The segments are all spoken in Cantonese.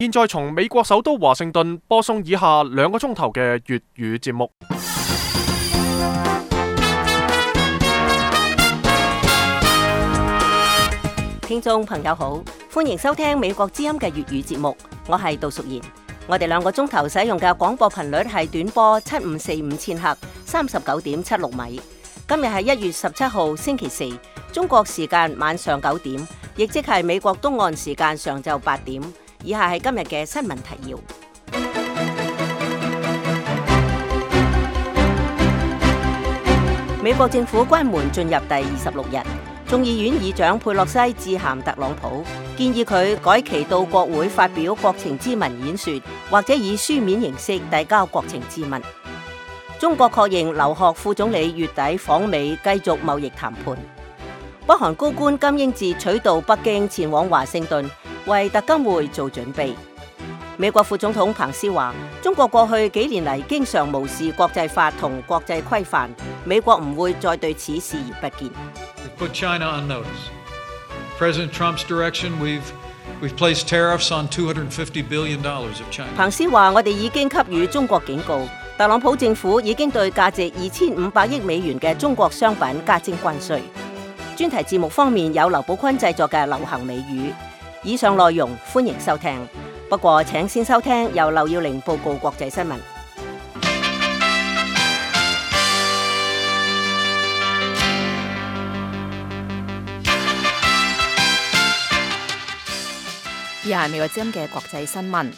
現在從美國首都華盛頓播送以下2個鐘頭嘅粵語節目。聽眾朋友好，歡迎收聽美國之音嘅粵語節目，我係杜淑賢。我哋2個鐘頭使用嘅廣播頻率係短波7545千赫，39.76米。今日係1月17號星期四，中國時間晚上9點，亦即係美國東岸時間上晝8點。以下係今日嘅新聞提要。美國政府關門進入第26日，眾議院議長佩洛西致函特朗普，建議佢改期到國會發表國情咨文演說，或者以書面形式遞交國情咨文。中國確認劉鶴副總理月底訪美繼續貿易談判。北韓高官金英哲取道北京前往華盛頓，為特金會做準備。美國副總統彭斯話：中國過去幾年嚟經常無視國際法同國際規範，美國唔會再對此視而不見。Put China on notice. President Trump's direction, we've placed tariffs on $250 billion of China. 彭斯話：我哋已經給予中國警告，特朗普政府已經對價值2500億美元嘅中國商品加徵關稅。專題節目方面有劉寶坤製作嘅流行美語。以上內容歡迎收聽，不過請先收聽由劉耀玲報告國際新聞。以下係美國之音嘅國際新聞。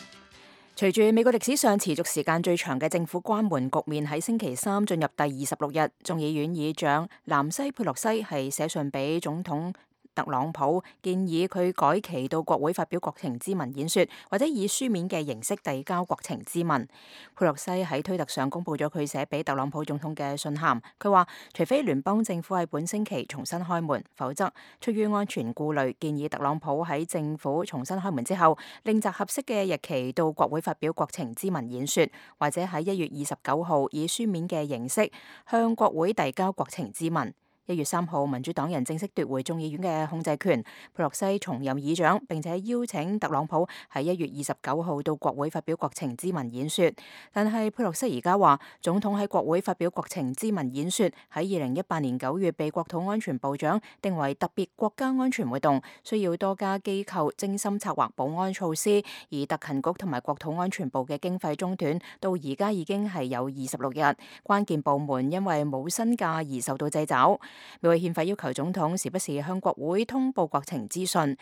隨住美國歷史上持續時間最長嘅政府關門局面喺星期三進入第26日，眾議院議長南希佩洛西係寫信俾總統特朗普，建議佢改期到國會發表國情咨文演說，或者以書面嘅形式遞交國情咨文。佩洛西喺推特上公布咗佢寫俾特朗普總統嘅信函，佢話除非聯邦政府喺本星期重新開門，否則出於安全顧慮，建議特朗普喺政府重新開門之後，另擇合適嘅日期到國會發表國情咨文演說，或者喺1月29號以書面嘅形式向國會遞交國情咨文。1月3號，民主黨人正式奪回眾議院嘅控制權，佩洛西重任議長，並且邀請特朗普喺1月29號到國會發表國情咨文演說。但係佩洛西而家話，總統喺國會發表國情咨文演說喺2018年9月被國土安全部長定為特別國家安全活動，需要多家機構精心策劃保安措施，而特勤局同埋國土安全部嘅經費中斷，到而家已經係有26日，關鍵部門因為冇薪假而受到掣肘。美國憲法要求總統時不時向國會通報國情資訊，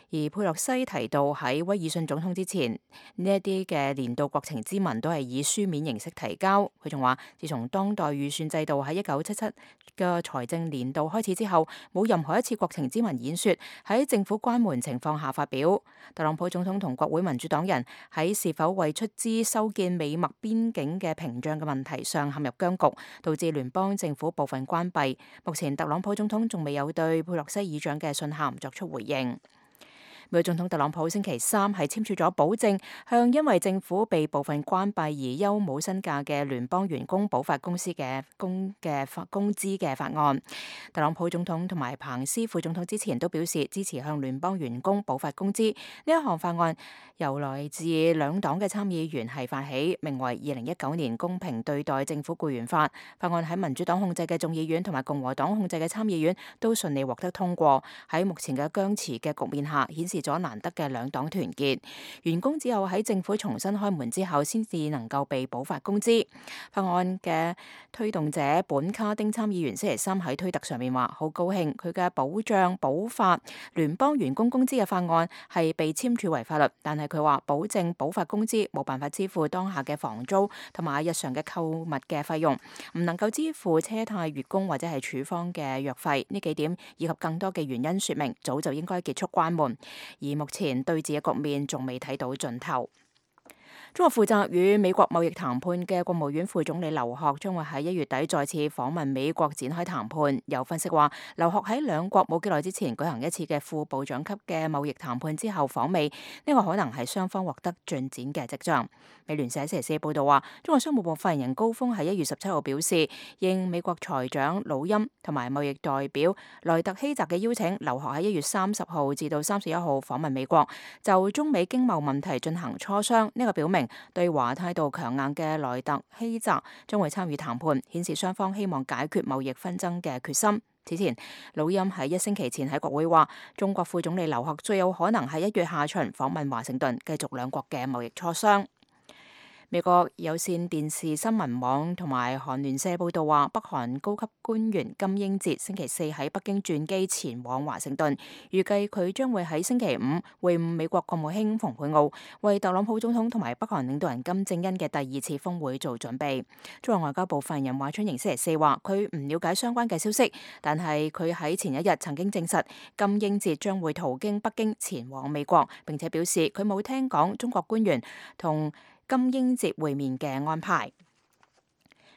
而佩洛西提到喺威爾遜總統之前，呢一啲嘅年度國情咨文都係以書面形式提交。佢仲話，自從當代預算制度喺1977嘅財政年度開始之後，冇任何一次國情咨文演說喺政府關門情況下發表。特朗普總統同國會民主黨人喺是否為出資修建美墨邊境嘅屏障嘅問題上陷入僵局，導致聯邦政府部分關閉。目前特朗普總統仲未有對佩洛西議長嘅信函作出回應。美國總統特朗普星期三係簽署咗保證向因為政府被部分關閉而休冇薪假嘅聯邦員工補發工資嘅法案。特朗普總統同埋彭斯副總統之前都表示支持向聯邦員工補發工資。呢一項法案由來自兩黨嘅參議員係發起，名為2019年公平對待政府僱員法。法案喺民主黨控制嘅眾議院同埋共和黨控制嘅參議院都順利獲得通過。喺目前嘅僵持嘅局面下，顯示咗難得嘅兩黨團結。員工只有喺政府重新開門之後，先至能夠被補發工資。法案嘅推動者本卡丁參議員星期三喺推特上面話，好高興佢嘅保障補發聯邦員工工資嘅法案係被簽署為法律，但係佢話保證補發工資冇辦法支付當下嘅房租同埋日常嘅購物嘅費用，唔能夠支付車貸、月供或者係處方嘅藥費。呢幾點以及更多嘅原因說明，早就應該結束關門。而目前對峙嘅局面仲未睇到盡頭。中國負責與美國貿易談判嘅國務院副總理劉鶴將會喺1月底再次訪問美國展開談判。有分析話，劉鶴喺兩國冇幾耐之前舉行一次嘅副部長級嘅貿易談判之後訪美，呢個可能係雙方獲得進展嘅跡象。美聯社星期四報道話，中國商務部發言人高峰喺1月17號表示，應美國財長魯欽同埋貿易代表萊特希澤嘅邀請，劉鶴喺1月30號至到31號訪問美國，就中美經貿問題進行磋商。呢個表明對華態度強硬嘅萊特希澤將會參與談判，顯示雙方希望解決貿易紛爭嘅決心。此前，魯欽喺1星期前喺國會話，中國副總理劉鶴最有可能喺1月下旬訪問華盛頓，繼續兩國嘅貿易磋商。美國有線電視新聞網同埋韓聯社報道話，北韓高級官員金英哲星期四喺北京轉機前往華盛頓，預計佢將會喺星期五會晤美國國務卿蓬佩奧，為特朗普總統同埋北韓領導人金正恩嘅第2次峰會做準備。中國外交部發言人華春瑩星期四話，佢唔了解相關嘅消息，但係佢喺前一日曾經證實金英哲將會途經北京前往美國，並且表示佢冇聽講中國官員同金英哲會面嘅安排。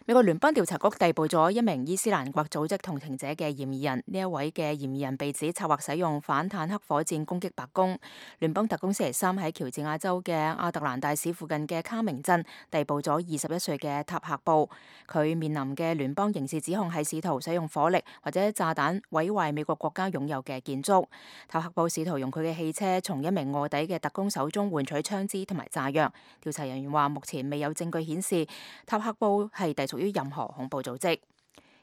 美國聯邦調查局逮捕咗一名伊斯蘭國組織同情者嘅嫌疑人，呢一位嘅嫌疑人被指策劃使用反坦克火箭攻擊白宮。聯邦特工星期三喺喬治亞州嘅亞特蘭大市附近嘅卡明鎮逮捕咗21歲嘅塔克布，佢面臨嘅聯邦刑事指控係試圖使用火力或者炸彈毀壞美國國家擁有嘅建築。塔克布試圖用佢嘅汽車從一名臥底嘅特工手中換取槍支同埋炸藥。調查人員話，目前未有證據顯示塔克布係隸屬於任何恐怖組織。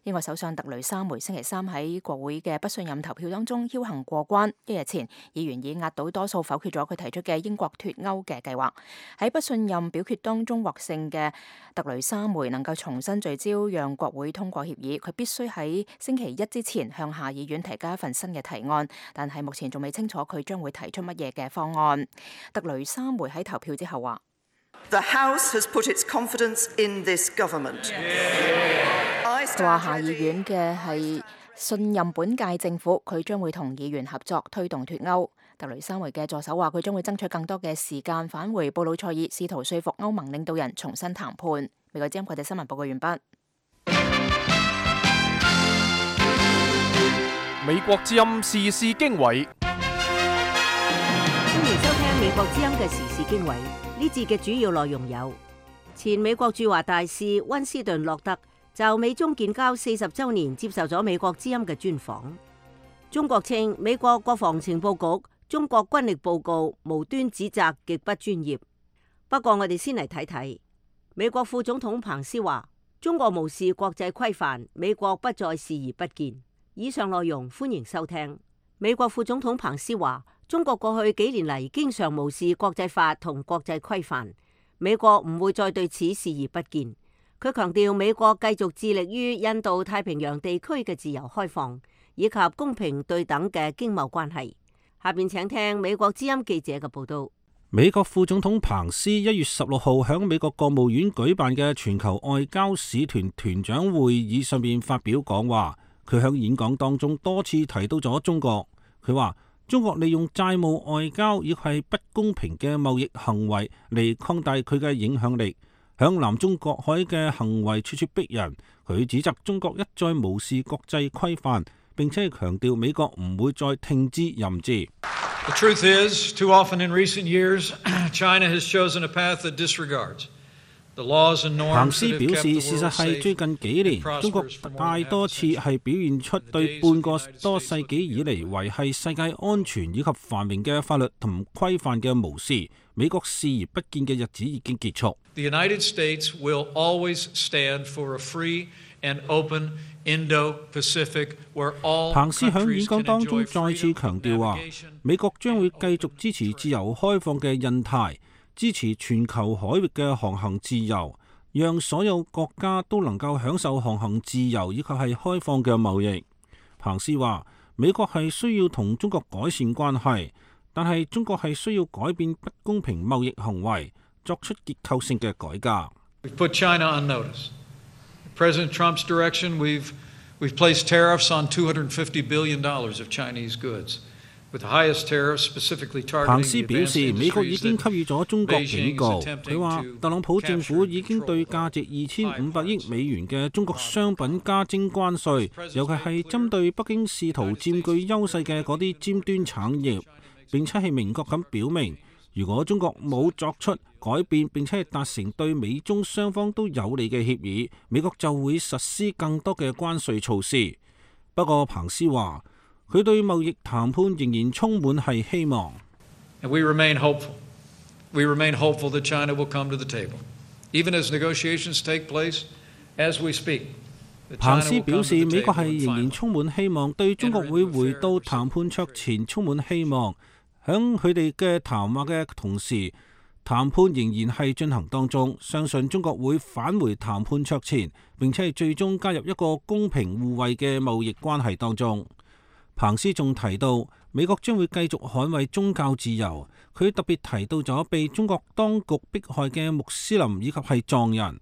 英國首相特雷莎梅星期三喺國會嘅不信任投票當中僥倖過關。1日前，議員以壓倒多數否決咗佢提出嘅英國脫歐嘅計劃。喺不信任表決當中獲勝嘅特雷莎梅能夠重新聚焦，讓國會通過協議。佢必須喺星期一之前向下議院提交一份新嘅提案，但係目前仲未清楚佢將會提出乜嘢嘅方案。特雷莎梅喺投票之後話：The House has put its confidence in this government. 佢話下議院嘅係信任本屆政府，佢將會同議員合作推動脫歐。特雷莎梅嘅助手話佢將會爭取更多嘅時間返回布魯塞爾，試圖說服歐盟領導人重新談判。美國之音國際新聞報告完畢。美國之音時事經緯，歡迎收聽美國之音嘅時事經緯。呢節嘅主要內容有：前美國駐華大使溫斯頓洛特就美中建交40週年接受咗美國之音嘅專訪。中國稱美國國防情報局中國軍力報告無端指責極不專業。不過我哋先嚟睇睇，美國副總統彭斯話中國無視國際規範，美國不再視而不見。以上內容歡迎收聽。美國副總統彭斯話中國過去幾年嚟經常無視國際法同國際規範，美國唔會再對此視而不見。佢強調美國繼續致力於印度太平洋地區嘅自由開放以及公平對等嘅經貿關係。下邊請聽美國之音記者嘅報道。美國副總統彭斯1月16號喺美國國務院舉辦嘅全球外交使團團長會議上面發表講話，佢喺演講當中多次提到咗中國。佢話中國利用債務外交亦係不公平嘅貿易行為嚟擴大佢嘅影響力。響南中國海嘅行為處處逼人，佢指責中國一再無視國際規範，並且強調美國唔會再聽之任之。The truth is, too often in recent years, China has chosen a path that disregards the laws and norms. 彭斯表示，事實係最近幾年，中國大多次係表現出對半個多世紀以嚟維繫世界安全以及繁榮嘅法律同規範嘅無視。美國視而不見嘅日子已經結束。The United States will always stand for a free and open Indo-Pacific where all countries can enjoy freedom of navigation. 彭斯喺演講當中再次強調話，美國將會繼續支持自由開放嘅印太，支持全球海域嘅航行自由，讓所有國家都能夠享受航行自由以及係開放嘅貿易。彭斯話，美國係需要同中國改善關係，但係中國係需要改變不公平貿易行為，作出結構性嘅改革。We've put China on notice. President Trump's direction, we've placed tariffs on $250 billion of Chinese goods. 彭斯表示，美國已經給予咗中國警告。佢話，特朗普政府已經對價值2500億美元嘅中國商品加徵關稅，尤其係針對北京試圖佔據優勢嘅嗰啲尖端產業，並且係明確咁表明，如果中國冇作出改變並且係達成對美中雙方都有利嘅協議，美國就會實施更多嘅關稅措施。不過，彭斯話，佢對貿易談判仍然充滿係希望。We remain hopeful. We remain hopeful that China will come to the table, even as negotiations take place as we speak. 彭斯表示，美國係仍然充滿希望，對中國會回到談判桌前充滿希望。響佢哋嘅談話嘅同時，談判仍然係進行當中，相信中國會返回談判桌前，並且係最終加入一個公平互惠嘅貿易關係當中。彭斯仲提到，美國將會繼續捍衛宗教自由。佢特別提到咗被中國當局迫害嘅穆斯林以及係藏人。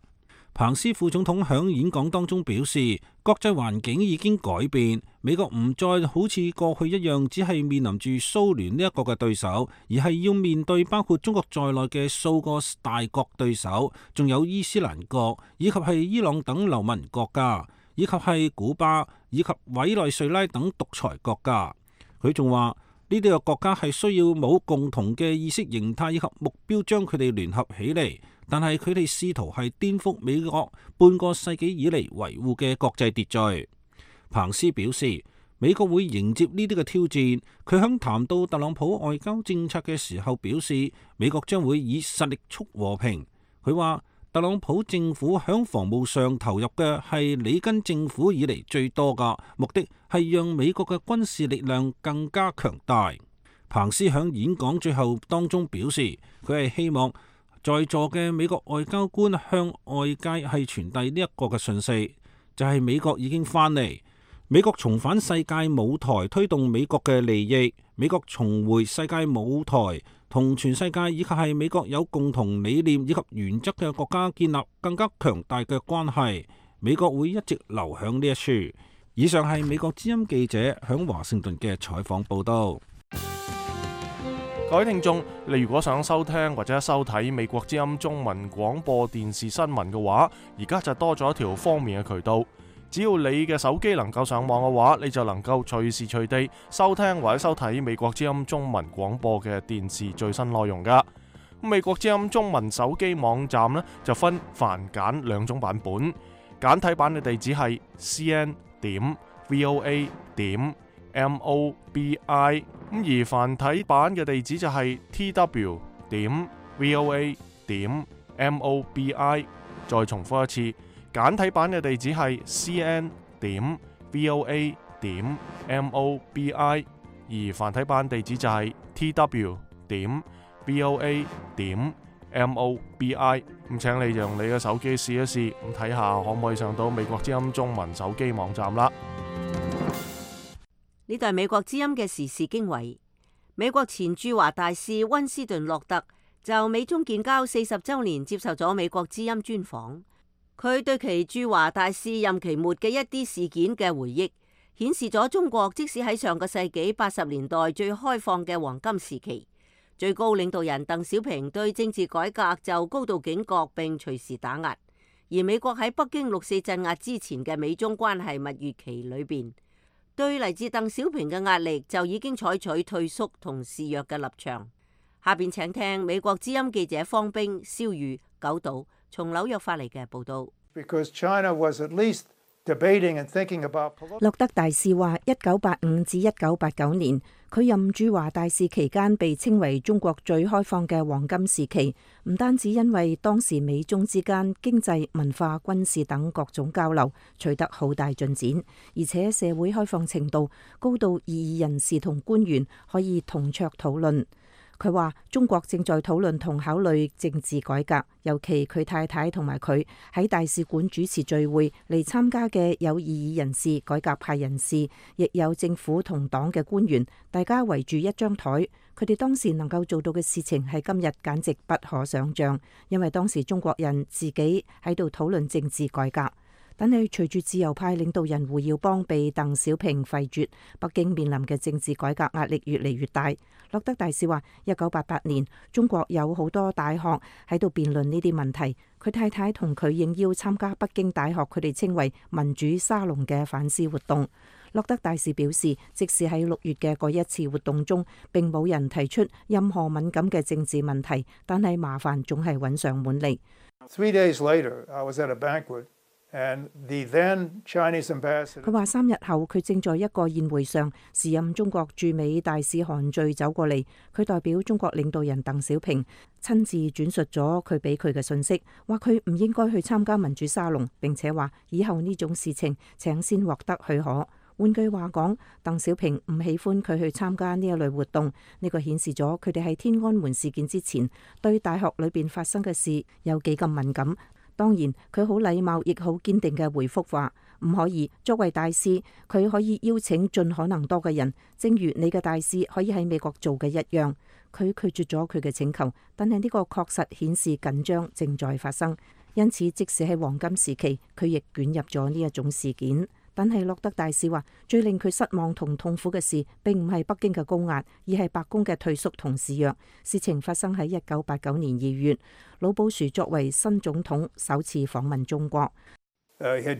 彭斯副總統響演講當中表示，國際環境已經改變，美國唔再好似過去一樣，只係面臨住蘇聯呢一個嘅對手，而係要面對包括中國在內嘅數個大國對手，仲有伊斯蘭國，以及係伊朗等流氓國家，以及係古巴，以及委內瑞拉等獨裁國家。佢仲話，呢啲嘅國家係需要冇共同嘅意識形態以及目標，將佢哋聯合起嚟。但係佢哋試圖係顛覆美國半個世紀以嚟維護嘅國際秩序。彭斯表示，美國會迎接呢啲嘅挑戰。佢響談到特朗普外交政策嘅時候表示，美國將會以實力促和平。佢話，特朗普政府響防務上投入嘅係里根政府以嚟最多㗎，目的係讓美國嘅軍事力量更加強大。彭斯響演講最後當中表示，佢係希望在座嘅美國外交官向外界係傳遞呢一個嘅訊息，就係美國已經翻嚟，美國重返世界舞台，推動美國嘅利益，美國重回世界舞台，同全世界以及係美國有共同理念以及原則嘅國家建立更加強大嘅關係。美國會一直留響呢一處。以上係美國之音記者響華盛頓嘅採訪報道。各位聽眾，你如果想收聽或者收睇美國之音中文廣播電視新聞嘅話，而家就多咗一條方便嘅渠道。只要你嘅手機能夠上網嘅話，你就能夠隨時隨地收聽或者收睇美國之音中文廣播嘅電視最新內容噶。美國之音中文手機網站呢，就分繁簡兩種版本，簡體版嘅地址係 cn.voa.mobi， 而繁體版嘅地址就係 tw.voa.mobi。 再重複一次，簡體版嘅地址係 cn.voa.mobi， 而繁體版地址就係 tw.voa.mobi。 咁請你用你嘅手機試一試，咁睇下可唔可以上到美國之音中文手機網站啦。呢度係美國之音嘅時事經緯。美國前駐華大使溫斯頓洛特就美中建交40週年接受咗美國之音專訪。佢對其駐華大使任期末嘅一啲事件嘅回憶，顯示咗中國即使喺上個世紀80年代最開放嘅黃金時期，最高領導人鄧小平對政治改革就高度警覺並隨時打壓。而美國喺北京6·4鎮壓之前嘅美中關係蜜月期裏邊，對嚟自鄧小平嘅壓力就已經採取退縮同示弱嘅立場。下邊請聽美國之音記者方冰、蕭宇、九島從紐約發嚟嘅報道。洛特大使話，1985至1989年，佢任駐華大使期間被稱為中國最開放嘅黃金時期，唔單止因為當時美中之間經濟、文化、軍事等各種交流取得好大進展，而且社會開放程度高到異議人士同官員可以同桌討論。佢話中國正在討論同考慮政治改革，尤其佢太太同埋佢喺大使館主持聚會嚟參加嘅有異議人士、改革派人士，亦有政府同黨嘅官員，大家圍住一張台。佢哋當時能夠做到嘅事情係今日簡直不可想像，因為當時中國人自己喺度討論政治改革。但係隨住自由派領導人胡耀邦被鄧小平廢絕，北京面臨嘅政治改革壓力越嚟越大。洛德大使話：1988年中國有好多大學喺度辯論呢啲問題，佢太太同佢應邀參加北京大學佢哋稱為民主沙龍嘅反思活動。洛德大使表示，即使喺6月嘅嗰一次活動中並冇人提出任何敏感嘅政治問題，但係麻煩總係揾上門嚟。3 days later, I was at a banquet.佢話3日後，佢正在一個宴會上，時任中國駐美大使韓聚走過嚟，佢代表中國領導人鄧小平親自轉述咗佢俾佢嘅信息，話佢唔應該去參加民主沙龍，並且話以後呢種事情請先獲得許可。換句話講，鄧小平唔喜歡佢去參加呢一類活動，呢個顯示咗佢哋喺天安門事件之前對大學裏邊發生嘅事有幾咁敏感。當然，佢好禮貌亦好堅定嘅回覆話唔可以。作為大使，佢可以邀請盡可能多嘅人，正如你嘅大使可以喺美國做嘅一樣。佢拒絕咗佢嘅請求，但係呢個確實顯示緊張正在發生。因此，即使係黃金時期，佢亦捲入咗呢一種事件。但係洛德大使話，最令佢失望同痛苦嘅事並唔係北京嘅高壓，而係白宮嘅退縮同示弱。事情發生喺1989年2月，老布殊作為新總統首次訪問中國。佢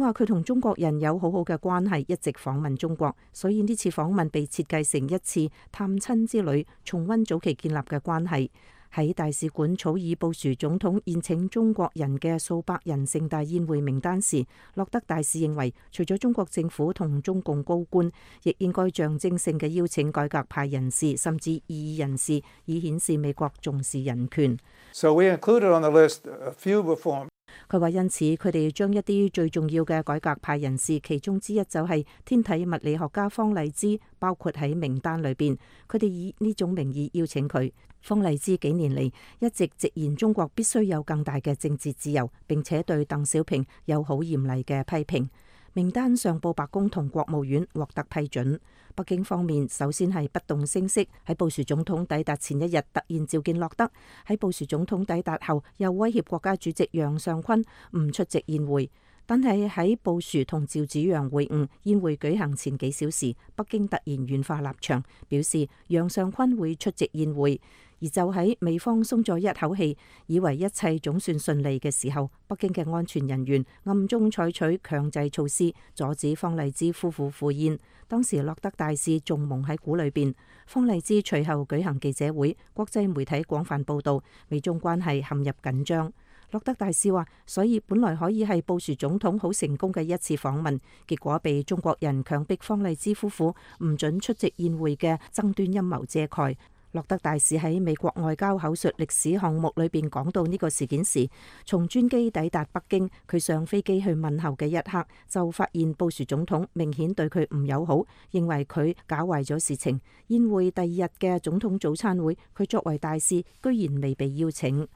話佢同中國人有好好嘅關係，一直訪問中國，所以呢次訪問被設計成一次探親之旅，重溫早期建立嘅關係。喺大使館草擬布殊總統宴請中國人嘅數百人盛大宴會名單時，洛德大使認為，除咗中國政府同中共高官，亦應該象徵性嘅邀請改革派人士，甚至異議人士，以顯示美國重視人權。So we included on the list a few reform. 佢話因此佢哋將一啲最重要嘅改革派人士，其中之一就係天體物理學家方勵之，包括喺名單裏邊。佢哋以呢種名義邀請佢。方勵之幾年嚟一直直言中國必須有更大嘅政治自由，並且對鄧小平有好嚴厲嘅批評。名單上報白宮同國務院獲得批准。北京方面首先係不動聲色，喺布殊總統抵達前一日突然召見洛德，喺布殊總統抵達後又威脅國家主席楊尚昆唔出席宴會。但係喺布殊同趙紫陽會晤宴會舉行前幾小時，北京突然軟化立場，表示楊尚昆會出席宴會。而就喺美方鬆咗一口氣，以為一切總算順利嘅時候，北京嘅安全人員暗中採取強制措施，阻止方勵之夫婦赴宴。當時洛德大使仲蒙喺鼓裏邊。方勵之隨後舉行記者會，國際媒體廣泛報道，美中關係陷入緊張。洛德大使話，所以本來可以係布殊總統好成功嘅一次訪問，結果被中國人強迫方勵之夫婦唔准出席宴會嘅爭端陰謀遮蓋。洛德大使喺美國外交口述歷史項目裏邊講到呢個事件時，從專機抵達北京，佢上飛機去問候嘅一刻，就發現布殊總統明顯對佢唔友好，認為佢搞壞咗事情。宴會第二日嘅總統早餐會，佢作為大使居然未被邀請。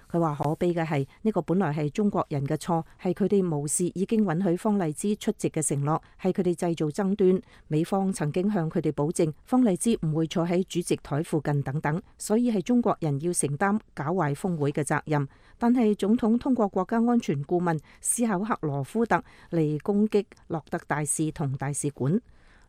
佢話可悲嘅係呢個本來係中國人嘅錯，係佢哋無視已經允許方勵之出席嘅承諾，係佢哋製造爭端。美方曾經向佢哋保證方勵之唔會坐喺主席台附近等等，所以係中國人要承擔搞壞峰會嘅責任。但係總統通過國家安全顧問斯考克羅夫特嚟攻擊洛德大使同大使館。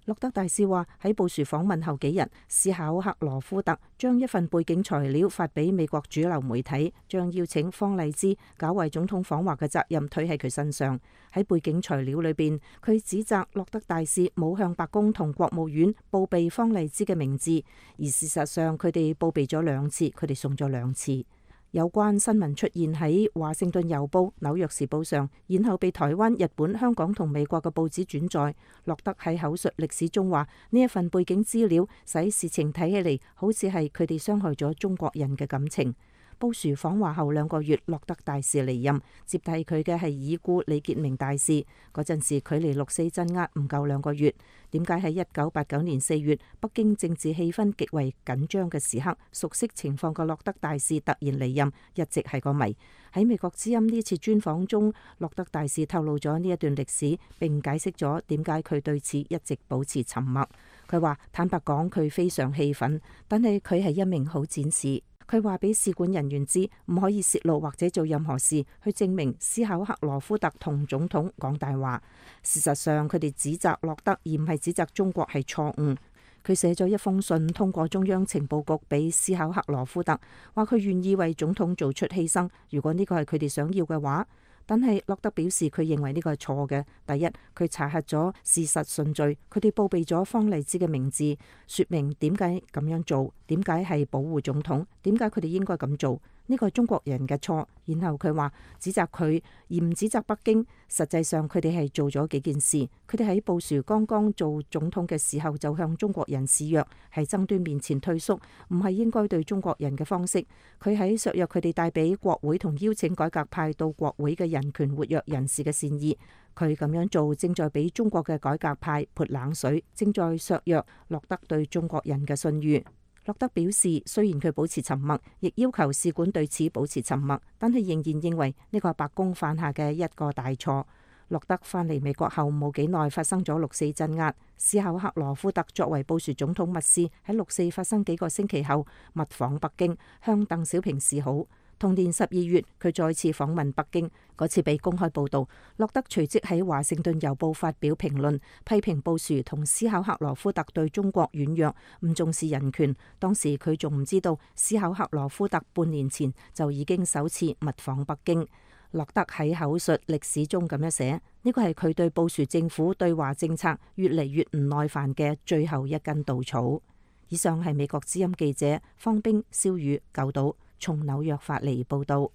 洛德大使話喺布殊訪問後幾日，斯考克羅夫特將一份背景材料發俾美國主流媒體，將邀請方勵之搞壞總統訪華嘅責任推喺佢身上。喺背景材料裏邊，佢指責洛德大使冇向白宮同國務院報備方勵之嘅名字，而事實上佢哋報備咗2次，佢哋送咗2次。有關新聞出現喺華盛頓郵報、紐約時報上，然後被台灣、日本、香港同美國嘅報紙轉載。洛德喺口述歷史中話，呢一份背景資料使事情睇起嚟好似係佢哋傷害咗中國人嘅感情。布殊訪華後2個月，洛德大使離任，接替佢嘅係已故李傑明大使。嗰陣時距離6四鎮壓唔夠2個月。點解喺1989年4月，北京政治氣氛極為緊張嘅時刻，熟悉情況嘅洛德大使突然離任，一直係個謎。喺美國之音呢次專訪中，洛德大使透露咗呢一段歷史，並解釋咗點解佢對此一直保持沉默。佢話坦白講，佢非常氣憤，但係佢係一名好戰士。佢話俾使館人員知，唔可以泄露或者做任何事去證明斯考克羅夫特同總統講大話。事實上，佢哋指責洛德而唔係指責中國係錯誤。佢寫咗一封信通過中央情報局俾斯考克羅夫特，話佢願意為總統做出犧牲，如果呢個係佢哋想要嘅話。但係洛德表示佢認為呢個係錯嘅。第一，佢查核咗事實順序，佢哋報備咗方勵之嘅名字，說明點解咁樣做，點解係保護總統，點解佢哋應該咁做。呢個係中國人嘅錯。然後佢話指責佢而唔指責北京。實際上佢哋係做咗幾件事。佢哋喺布殊剛剛做總統嘅時候就向中國人示弱，喺爭端面前退縮，唔係應該對中國人嘅方式。佢喺削弱佢哋帶俾國會同邀請改革派到國會嘅人權活躍人士嘅善意。佢咁樣做正在俾中國嘅改革派潑冷水，正在削弱洛德對中國人嘅信譽。洛德表示，雖然佢保持沉默，亦要求使館對此保持沉默，但係仍然認為呢個係白宮犯下嘅一個大錯。洛德返嚟美國後冇幾耐，發生咗6.4鎮壓。斯考克羅夫特作為布殊總統密使，喺6.4發生幾個星期後密訪北京，向鄧小平示好。同年12月，佢再次訪問北京，嗰次被公開報導。洛德隨即喺華盛頓郵報發表評論，批評布殊同斯考克羅夫特對中國軟弱，唔重視人權。當時佢仲唔知道斯考克羅夫特半年前就已經首次密訪北京。洛德喺口述歷史中咁樣寫，呢個係佢對布殊政府對華政策越嚟越唔耐煩嘅最後一根稻草。以上係美國之音記者方冰、蕭宇、九島從紐約發嚟報道。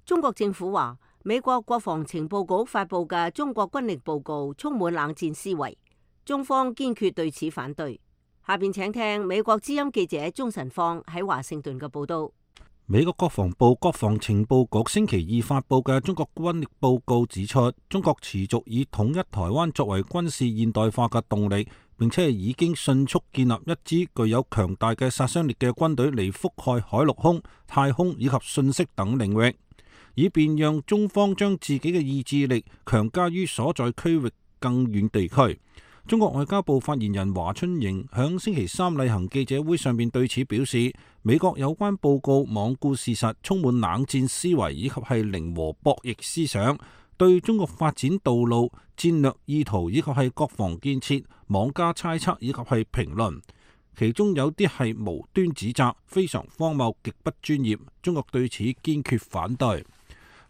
中國政府話，美國國防情報局發佈嘅中國軍力報告充滿冷戰思維，中方堅決對此反對。下邊請聽美國之音記者鍾晨放喺華盛頓嘅報道。美國國防部國防情報局星期二發佈嘅中國軍力報告指出，中國持續以統一台灣作為軍事現代化嘅動力，並且已經迅速建立一支具有強大嘅殺傷力嘅軍隊嚟覆蓋海陸空、太空以及信息等領域，以便讓中方將自己嘅意志力強加於所在區域更遠地區。中國外交部發言人華春瑩響星期三例行記者會上面對此表示，美國有關報告罔顧事實，充滿冷戰思維以及係零和博弈思想，對中國發展道路、戰略意圖以及係國防建設妄加猜測以及係評論，其中有啲係無端指責，非常荒謬，極不專業。中國對此堅決反對。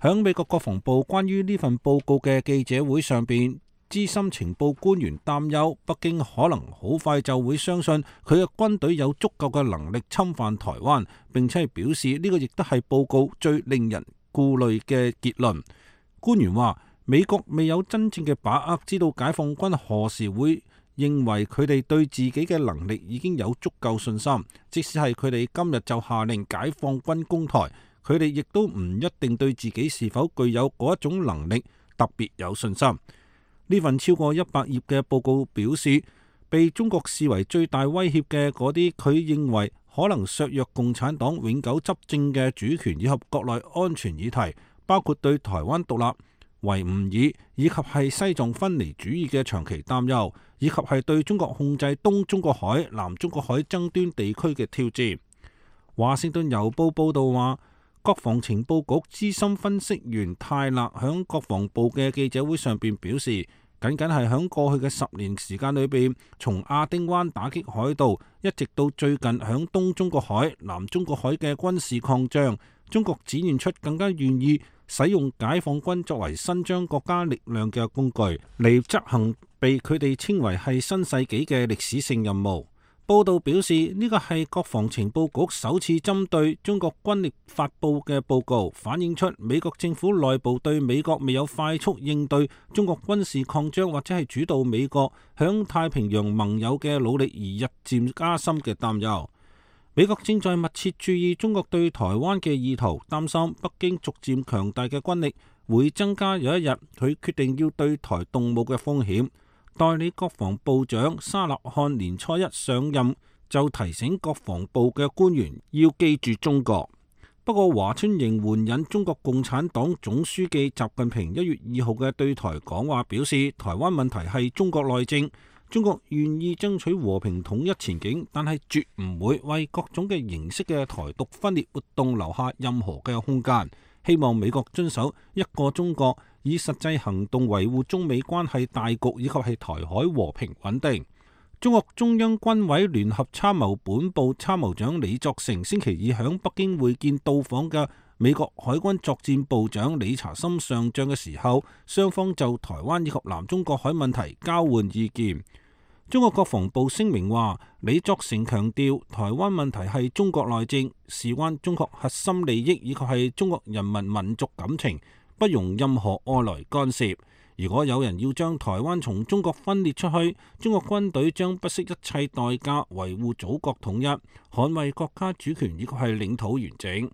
響美國國防部關於呢份報告嘅記者會上邊，資深情報官員擔憂北京可能好快就會相信佢嘅軍隊有足夠嘅能力侵犯台灣，並且係表示呢個亦都係報告最令人顧慮嘅結論。官員話，美國未有真正嘅把握知道解放軍何時會認為佢哋對自己嘅能力已經有足夠信心，即使係佢哋今日就下令解放軍攻台，佢哋亦都唔一定對自己是否具有嗰一種能力特別有信心。呢份超過100頁嘅報告表示，被中國視為最大威脅嘅嗰啲佢認為可能削弱共產黨永久執政嘅主權以及國內安全議題，包括對台灣獨立、維吾爾以及係西藏分離主義嘅長期擔憂，以及係對中國控制東中國海、南中國海爭端地區嘅挑戰。華盛頓郵報報道話，國防情報局資深分析員泰勒響國防部嘅記者會上邊表示，僅僅係響過去嘅10年時間裏邊，從亞丁灣打擊海盜，一直到最近響東中國海、南中國海嘅軍事擴張，中國展現出更加願意使用解放軍作為伸張國家力量嘅工具嚟執行被佢哋稱為係新世紀嘅歷史性任務。報道表示，呢個係國防情報局首次針對中國軍力發佈嘅報告，反映出美國政府內部對美國未有快速應對中國軍事擴張或者係主導美國響太平洋盟友嘅努力而日漸加深嘅擔憂。美國正在密切注意中國對台灣嘅意圖，擔心北京逐漸強大嘅軍力會增加有一日佢決定要對台動武嘅風險。代理國防部長沙納漢年初一上任就提醒國防部嘅官員要記住中國。不過華春瑩援引中國共產黨總書記習近平1月2號嘅對台講話表示，台灣問題係中國內政，中國願意爭取和平統一前景，但係絕唔會為各種嘅形式嘅台獨分裂活動留下任何嘅空間。希望美國遵守一個中國，以實際行動維護中美關係大局以及係台海和平穩定。中國中央軍委聯合參謀本部參謀長李作成星期二響北京會見到訪嘅美國海軍作戰部長理查森上將嘅時候，雙方就台灣以及南中國海問題交換意見。中國國防部聲明話，李作成強調台灣問題係中國內政，事關中國核心利益以及係中國人民民族感情，不容任何外來干涉。如果有人要將台灣從中國分裂出去，中國軍隊將不惜一切代價維護祖國統一，捍衛國家主權以及係領土完整。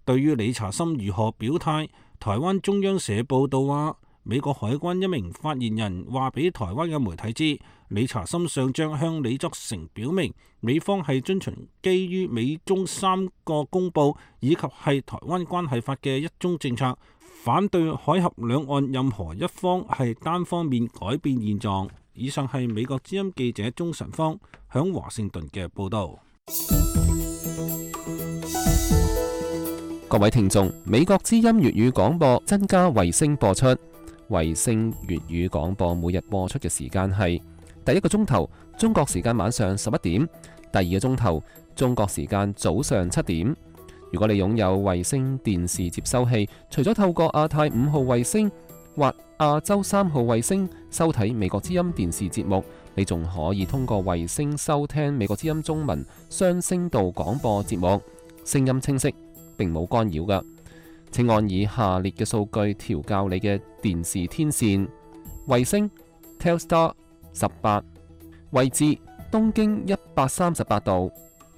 對於理查森如何表態，台灣中央社報道話，美國海軍一名發言人話俾台灣嘅媒體知，理查森上將向李作成表明，美方係遵循基於美中3個公報以及係台灣關係法嘅一中政策，反對海峽兩岸任何一方係單方面改變現狀。以上係美國之音記者鍾晨芳響華盛頓嘅報導。各位聽眾，美國之音粵語廣播增加衛星播出。衛星粵語廣播每日播出嘅時間係第一個鐘頭中國時間晚上11點，第二個鐘頭中國時間早上7點。如果你擁有衛星電視接收器，除咗透過亞太5號衛星或亞洲3號衛星收睇美國之音電視節目，你仲可以通過衛星收聽美國之音中文雙聲道廣播節目，聲音清晰，並冇干擾㗎。請按以下列嘅數據調校你嘅電視天線：衛星 Telstar 18，位置東經138度，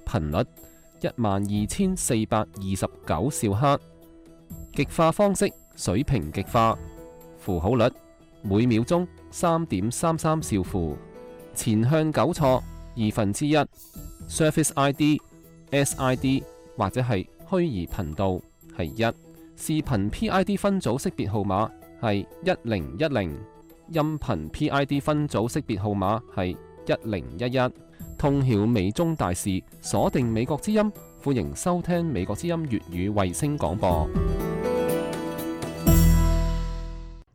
頻率12429兆赫，極化方式水平極化，符號率每秒鐘3.33兆符，前向糾錯1/2， Surface ID、SID 或者係虛擬頻道係1。視頻 PID 分組識別號碼係1010，音頻 PID 分組識別號碼係1011。通曉美中大事，鎖定美國之音，歡迎收聽美國之音粵語衛星廣播。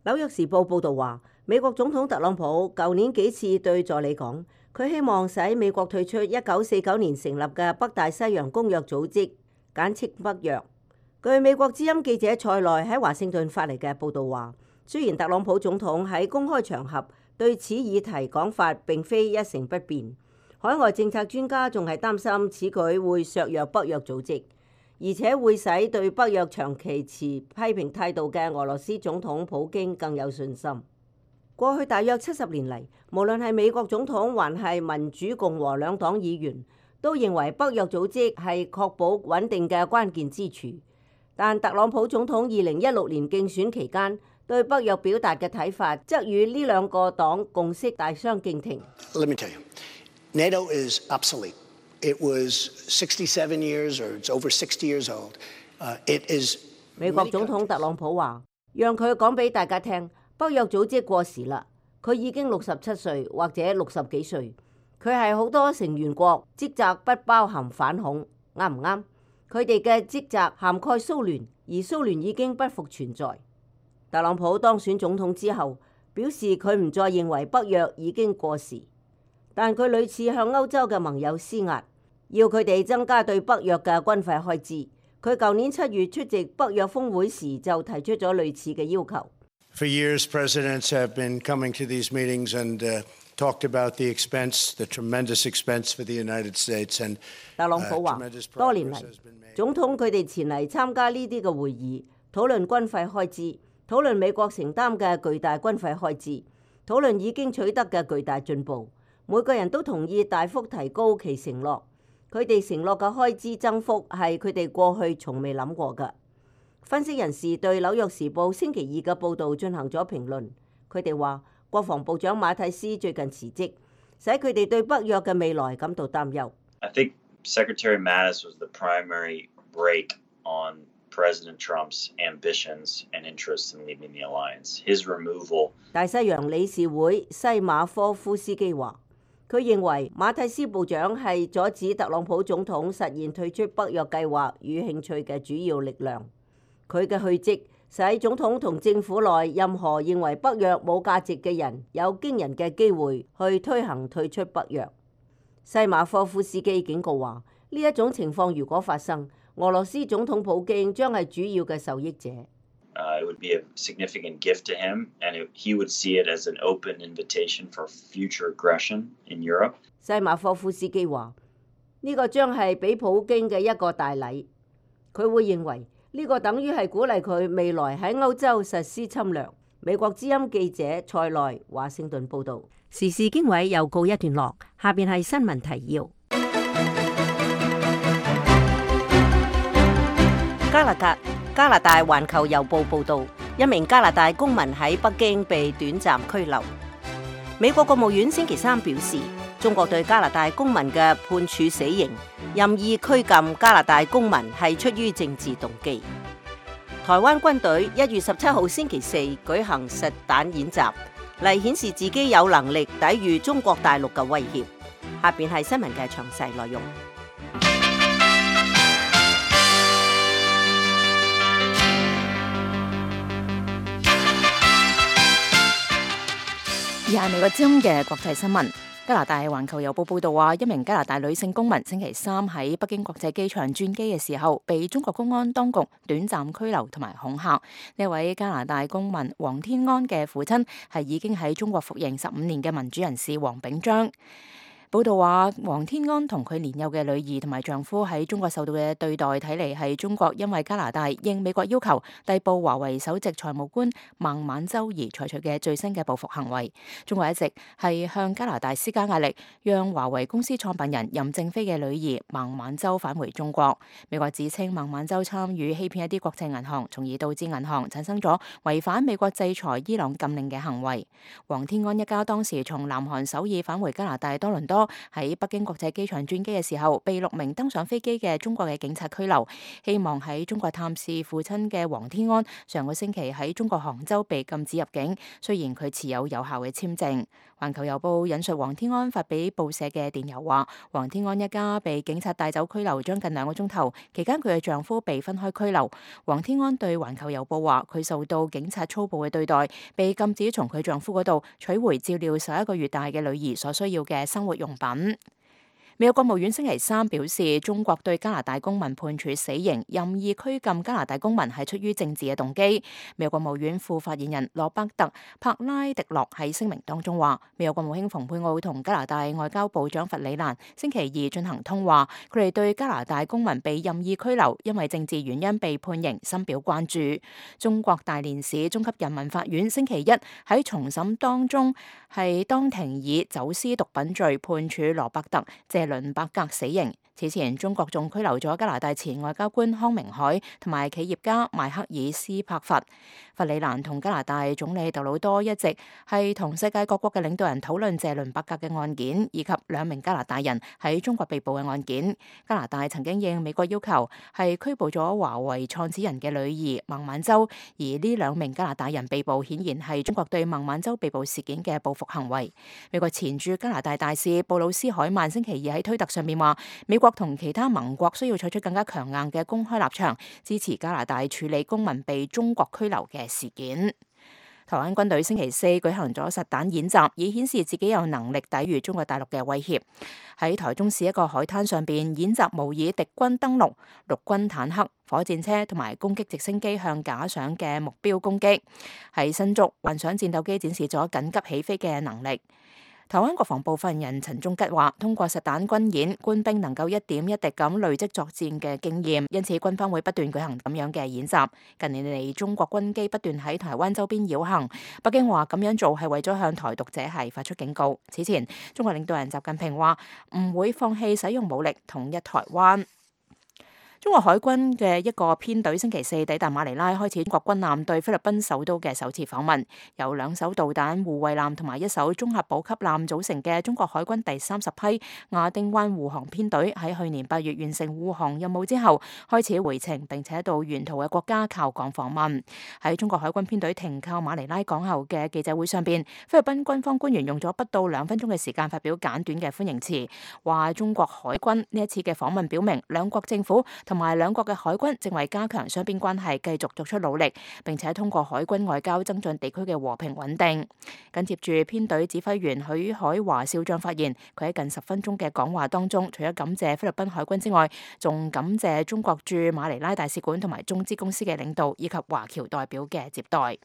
紐約時報報導話，美國總統特朗普舊年幾次對助理講，佢希望使美國退出1949年成立嘅北大西洋公約組織，簡稱北約。據美國之音記者塞內喺華盛頓發嚟嘅報導話，雖然特朗普總統喺公開場合對此議題講法並非一成不變，海外政策專家仲係擔心此舉會削弱北約組織，而且會使對北約長期持批評態度嘅俄羅斯總統普京更有信心。過去大約70年嚟，無論係美國總統還係民主共和兩黨議員，都認為北約組織係確保穩定嘅關鍵支柱。但特朗普總統2016年競選期間對北約表達嘅睇法，則與呢兩個黨共識大相徑庭。Let me tell you, NATO is obsolete. It was 67 years, or it's over 60 years old. It is. 美國總統特朗普話：讓佢講俾大家聽，北約組織過時啦。佢已經67歲或者60幾歲，佢係好多成員國職責不包含反恐，啱唔啱？佢哋嘅職責涵蓋蘇聯，而蘇聯已經不復存在。特朗普當選總統之後，表示佢唔再認為北約已經過時，但佢屢次向歐洲嘅盟友施壓，要佢哋增加對北約嘅軍費開支。佢舊年7月出席北約峰會時就提出咗類似嘅要求。For years, presidents have been coming to these meetings and talked about the expense, the tremendous expense for the United States. And 特朗普話，多年嚟，總統佢哋前嚟參加呢啲嘅會議，討論軍費開支，討論美國承擔嘅巨大軍費開支，討論已經取得嘅巨大進步。每個人都同意大幅提高其承諾。佢哋承諾嘅開支增幅係佢哋過去從未諗過嘅。分析人士對《紐約時報》星期二嘅報導進行咗評論。佢哋話，國防部長馬蒂斯最近辭職，使佢哋對北約嘅未來感到擔憂。I think Secretary Mattis was the primary break on President Trump's ambitions and interests in leaving the alliance. His removal. 大西洋理事會西馬科夫斯基話，佢認為馬蒂斯部長係阻止特朗普總統實現退出北約計劃與興趣嘅主要力量。佢嘅去職使總統同政府內任何認為北約冇價值嘅人有驚人嘅機會去推行退出北約。西馬科夫斯基警告話，呢一種情況如果發生，俄羅斯總統普京將係主要嘅受益者。It would be a significant gift to him, and he would see it as an open invitation for future aggression in Europe. 西馬科夫斯基話：呢個將係俾普京嘅一個大禮，佢會認為呢個等於係鼓勵佢未來喺歐洲實施侵略。美國之音記者蔡內華盛頓報導。時事經緯又告一段落，下邊係新聞提要。加拿大環球郵報報導，一名加拿大公民喺北京被短暫拘留。美國國務院星期三表示，中國對加拿大公民嘅判處死刑，任意拘禁加拿大公民係出於政治動機。台灣軍隊1月17號星期四舉行實彈演習，嚟顯示自己有能力抵禦中國大陸嘅威脅。下邊係新聞嘅詳細內容。以下美國之音嘅國際新聞。加拿大環球郵報報道話，一名加拿大女性公民星期三喺北京國際機場轉機嘅時候，被中國公安當局短暫拘留同埋恐嚇。呢位加拿大公民黃天安嘅父親係已經喺中國服刑15年嘅民主人士黃炳章。報道話，黃天安同佢年幼嘅女兒同埋丈夫喺中國受到嘅對待，睇嚟係中國因為加拿大應美國要求逮捕華為首席財務官孟晚舟而採取嘅最新嘅報復行為。中國一直係向加拿大施加壓力，讓華為公司創辦人任正非嘅女兒孟晚舟返回中國。美國指稱孟晚舟參與欺騙一啲國際銀行，從而導致銀行產生咗違反美國制裁伊朗禁令嘅行為。黃天安一家當時從南韓首爾返回加拿大多倫多，喺北京國際機場轉機嘅時候，被6名登上飛機嘅中國嘅警察拘留。希望喺中國探視父親嘅黃天安，上個星期喺中國杭州被禁止入境，雖然佢持有有效嘅簽證。環球郵報引述黃天安發俾報社嘅電郵話，黃天安一家被警察帶走拘留將近2個鐘頭，期間佢嘅丈夫被分開拘留。黃天安對環球郵報話，佢受到警察粗暴嘅對待，被禁止從佢丈夫嗰度取回照料11個月大嘅女兒所需要嘅生活用品。美國國務院星期三表示，中國對加拿大公民判處死刑，任意拘禁加拿大公民係出於政治嘅動機。美國國務院副發言人羅伯特·柏拉迪諾喺聲明當中話，美國國務卿蓬佩奧同加拿大外交部長弗里蘭星期二進行通話，佢哋對加拿大公民被任意拘留，因為政治原因被判刑深表關注。中國大連市中級人民法院星期一喺重審當中係當庭以走私毒品罪判處羅伯特謝倫伯格死刑。此前，中國仲拘留咗加拿大前外交官康明凱同埋企業家邁克爾斯柏佛。弗里蘭同加拿大總理杜魯多一直係同世界各國嘅領導人討論謝倫伯格嘅案件，以及2名加拿大人喺中國被捕嘅案件。加拿大曾經應美國要求係拘捕咗華為創始人嘅女兒孟晚舟，而呢2名加拿大人被捕，顯然係中國對孟晚舟被捕事件嘅報復行為。美國前駐加拿大大使布魯斯海曼星期二喺推特上面話，美國同其他盟國需要採取更加強硬嘅公開立場，支持加拿大處理公民被中國拘留嘅事件。台灣軍隊星期四舉行咗實彈演習，以顯示自己有能力抵禦中國大陸嘅威脅。喺台中市一個海灘上邊演習，模擬敵軍登陸、陸軍坦克、火箭車同埋攻擊直升機向假想嘅目標攻擊。喺新竹，幻想戰鬥機展示咗緊急起飛嘅能力。台灣國防部發言人陳忠吉話，通過實彈軍演，官兵能夠一點一滴咁累積作戰嘅經驗，因此軍方會不斷舉行咁樣嘅演習。近年嚟，中國軍機不斷喺台灣周邊繞行，北京話咁樣做係為咗向台獨者係發出警告。此前，中國領導人習近平話唔會放棄使用武力統一台灣。中國海軍嘅一個編隊星期四抵達馬尼拉，開始中國軍艦對菲律賓首都嘅首次訪問。由2艘導彈護衛艦同埋1艘綜合補給艦組成嘅中國海軍第30批亞丁灣護航編隊，喺去年8月完成護航任務之後，開始回程，並且到沿途嘅國家靠港訪問。喺中國海軍編隊停靠馬尼拉港後嘅記者會上邊，菲律賓軍方官員用咗不到2分鐘嘅時間發表簡短嘅歡迎詞，話中國海軍呢一次嘅訪問表明兩國政府同埋兩國嘅海軍正為加強雙邊關係繼續作出努力，並且通過海軍外交增進地區嘅和平穩定。緊接住編隊指揮員許海華少將發言，佢喺近10分鐘嘅講話當中，除咗感謝菲律賓海軍之外，仲感謝中國駐馬尼拉大使館同埋中資公司嘅領導以及華僑代表嘅接待。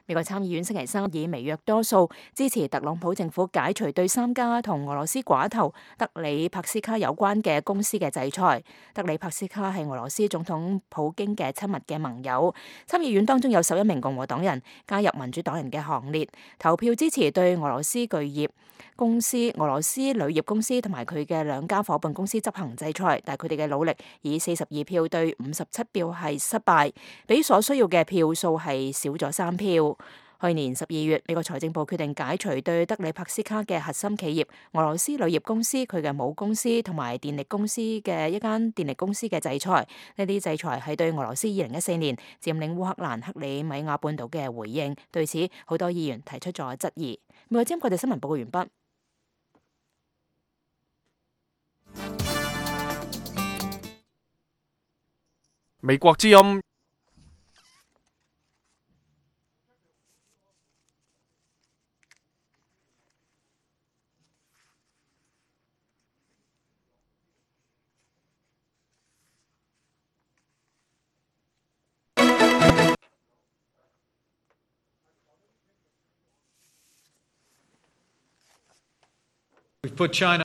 美國參議院星期三以微弱多數支持特朗普政府解除對3家同俄羅斯寡頭德里帕斯卡有關嘅公司嘅制裁。德里帕斯卡係俄羅斯總統普京嘅親密嘅盟友。參議院當中有11名共和黨人加入民主黨人嘅行列，投票支持對俄羅斯鋁業公司、俄羅斯鋁業公司同埋佢嘅2家伙伴公司執行制裁，但係佢哋嘅努力以42票對57票係失敗，比所需要嘅票數係少咗3票。去年12月，美國財政部決定解除對德里帕斯卡嘅核心企業俄羅斯鋁業公司、佢嘅母公司同埋電力公司嘅一間電力公司嘅制裁。呢啲制裁係對俄羅斯2014年佔領烏克蘭克里米亞半島嘅回應。對此，好多議員提出咗質疑。美國之音國際新聞報告完畢。美國之音。We've put China.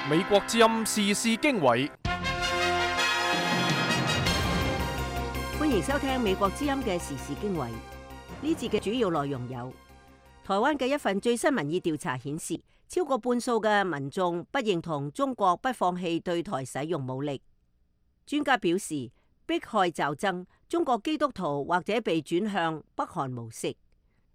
美國之音時事經緯，歡迎收聽美國之音嘅時事經緯。呢節嘅主要內容有：台灣嘅一份最新民意調查顯示，超過半數嘅民眾不認同中國不放棄對台使用武力。專家表示，迫害驟增，中國基督徒或者被轉向北韓模式。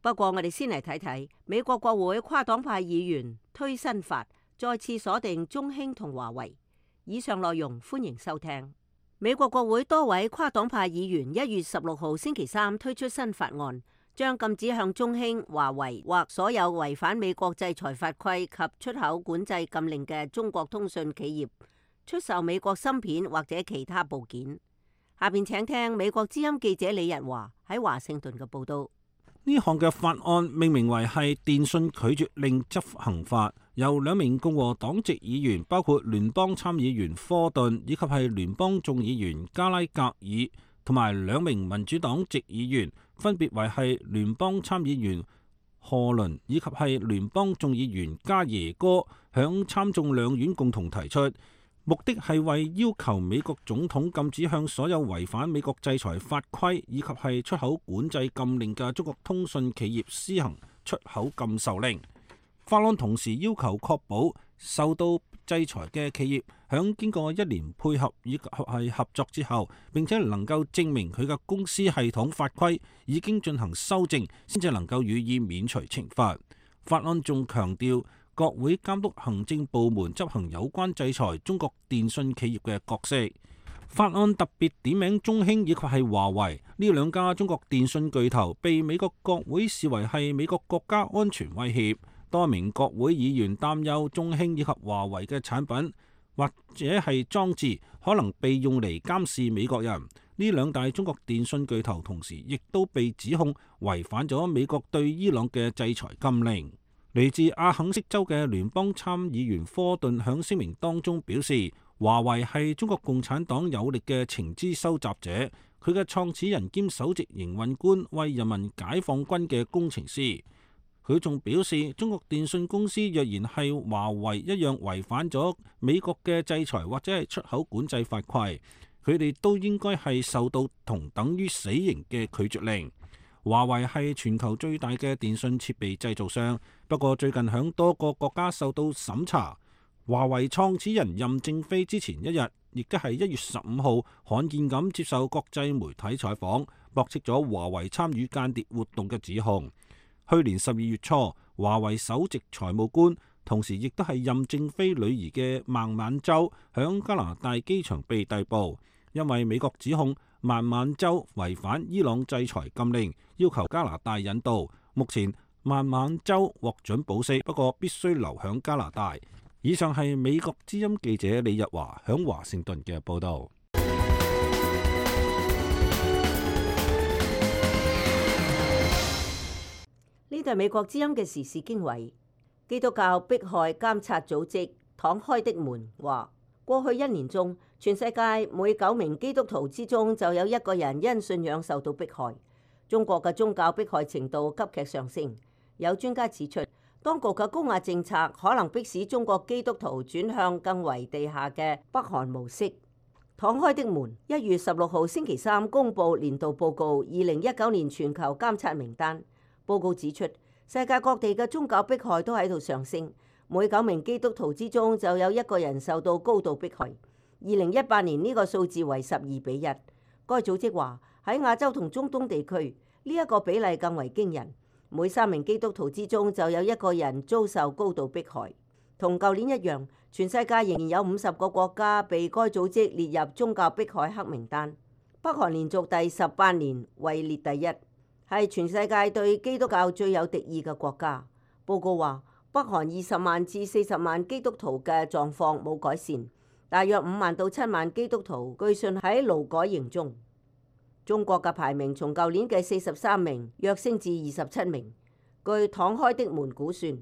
不過，我哋先嚟睇睇美國國會跨黨派議員推新法，再次鎖定中興同華為。以上內容歡迎收聽。美國國會多位跨黨派議員1月16號星期三推出新法案，將禁止向中興、華為或所有違反美國制裁法規及出口管制禁令嘅中國通訊企業出售美國芯片或者其他部件。下邊請聽美國之音記者李日華喺華盛頓嘅報道。呢項嘅法案命名為係電訊拒絕令執行法，由2名共和黨籍議員，包括聯邦參議員科頓以及係聯邦眾議員加拉格爾，同埋2名民主黨籍議員，分別為係聯邦參議員賀倫以及係聯邦眾議員加耶哥響參眾兩院共同提出，目的係為要求美國總統禁止向所有違反美國制裁法規以及係出口管制禁令嘅中國通訊企業施行出口禁售令。法案同時要求確保受到制裁嘅企業響經過1年配合以及係合作之後，並且能夠證明佢嘅公司系統法規已經進行修正，先至能夠予以免除懲罰。法案仲強調國會監督行政部門執行有關制裁中國電信企業嘅角色。法案特別點名中興以及係華為呢兩家中國電信巨頭，被美國國會視為係美國國家安全威脅。多名國會議員擔憂中興以及華為嘅產品或者係裝置可能被用嚟監視美國人。呢兩大中國電信巨頭同時亦都被指控違反咗美國對伊朗嘅制裁禁令。嚟自阿肯色州嘅聯邦參議員科頓響聲明當中表示，華為係中國共產黨有力嘅情資收集者，佢嘅創始人兼首席營運官為人民解放軍嘅工程師。佢仲表示，中國電信公司若然係華為一樣違反咗美國嘅制裁或者係出口管制法規，佢哋都應該係受到同等於死刑嘅拒絕令。華為係全球最大嘅電信設備製造商，不過最近響多個國家受到審查。華為創始人任正非之前一日，亦都係1月15號罕見咁接受國際媒體採訪，駁斥咗華為參與間諜活動嘅指控。去年12月初，華為首席財務官，同時亦都係任正非女兒嘅孟晚舟，響加拿大機場被逮捕，因為美國指控孟晚舟違反伊朗制裁禁令，要求加拿大引渡。目前孟晚舟獲准保釋，不過必須留響加拿大。以上係美國之音記者李日華響華盛頓嘅報導。呢度係美國之音嘅時事經緯。基督教迫害監察組織敞開的門話，過去1年中，全世界每9名基督徒之中就有1個人因信仰受到迫害。中國嘅宗教迫害程度急劇上升。有專家指出，當局嘅高壓政策可能迫使中國基督徒轉向更為地下嘅北韓模式。敞開的門1月16號星期三公佈年度報告2019年全球監察名單。報告指出，世界各地嘅宗教迫害都喺度上升，每9名基督徒之中就有1個人受到高度迫害。2018年呢個數字為12:1。該組織話喺亞洲同中東地區呢一個比例更為驚人，每3名基督徒之中就有1個人遭受高度迫害。同舊年一樣，全世界仍然有50個國家被該組織列入宗教迫害黑名單。北韓連續第18年位列第1。係全世界對基督教最有敵意嘅國家。報告話，北韓20萬至40萬基督徒嘅狀況冇改善，大約5萬到7萬基督徒據信喺勞改營中。中國嘅排名從舊年嘅43名躍升至27名。據敞開的門估算，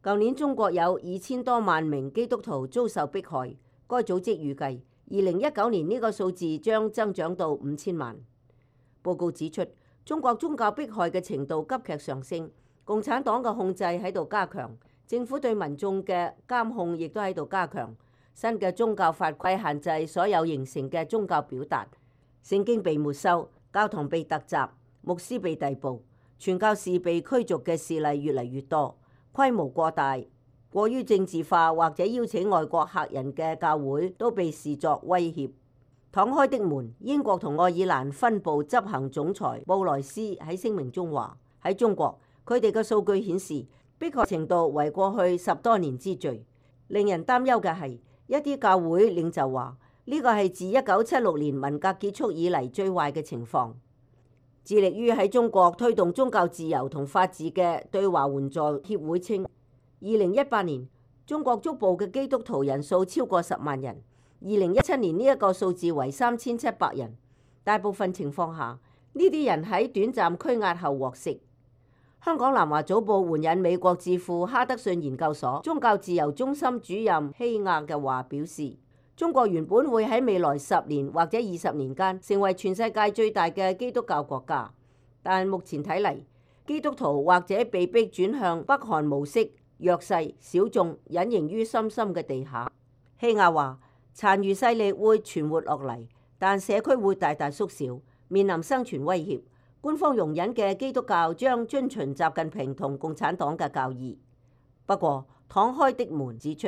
舊年中國有2000多萬名基督徒遭受迫害。該組織預計2019年呢個數字將增長到5000萬。報告指出，中國宗教迫害嘅程度急劇上升，共產黨嘅控制喺度加強，政府對民眾嘅監控亦都喺度加強。新嘅宗教法規限制所有形成嘅宗教表達，聖經被沒收，教堂被突襲，牧師被逮捕，傳教士被驅逐嘅事例越嚟越多，規模過大、過於政治化或者邀請外國客人嘅教會都被視作威脅。敞開的門，英國同愛爾蘭分部執行總裁布萊斯喺聲明中話：喺中國，佢哋嘅數據顯示迫害程度為過去10多年之最。令人擔憂嘅係，一啲教會領袖話呢個係自1976年文革結束以嚟最壞嘅情況。致力於喺中國推動宗教自由同法治嘅對華援助協會稱，2018年中國觸捕嘅基督徒人數超過10萬人。2017年呢一個數字為3700人，大部分情況下，呢啲人喺短暫拘押後獲釋。香港南華早報援引美國智庫哈德遜研究所宗教自由中心主任希亞嘅話表示，中國原本會喺未來10年或者20年間成為全世界最大嘅基督教國家，但目前睇嚟，基督徒或者被迫轉向北韓模式，弱勢小眾隱形於深深嘅地下。希亞話：殘餘勢力會存活落嚟，但社區會大大縮小，面臨生存威脅。官方容忍嘅基督教將遵循習近平同共產黨嘅教義。不過，敞開的門指出，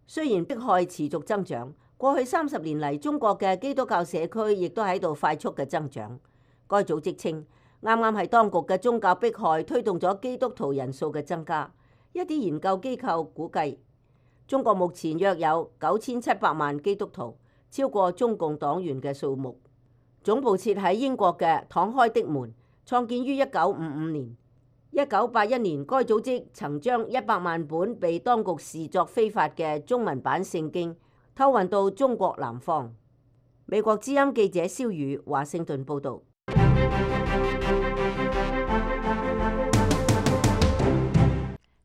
雖然迫害持續增長，過去30年嚟，中國嘅基督教社區亦都喺度快速嘅增長。該組織稱，啱啱係當局嘅宗教迫害推動咗基督徒人數嘅增加。一啲研究機構估計，中國目前約有9700萬基督徒，超過中共黨員嘅數目。總部設喺英國嘅敞開的門，創建於1955年。1981年，該組織曾將100萬本被當局視作非法嘅中文版聖經偷運到中國南方。美國之音記者蕭宇華盛頓報導。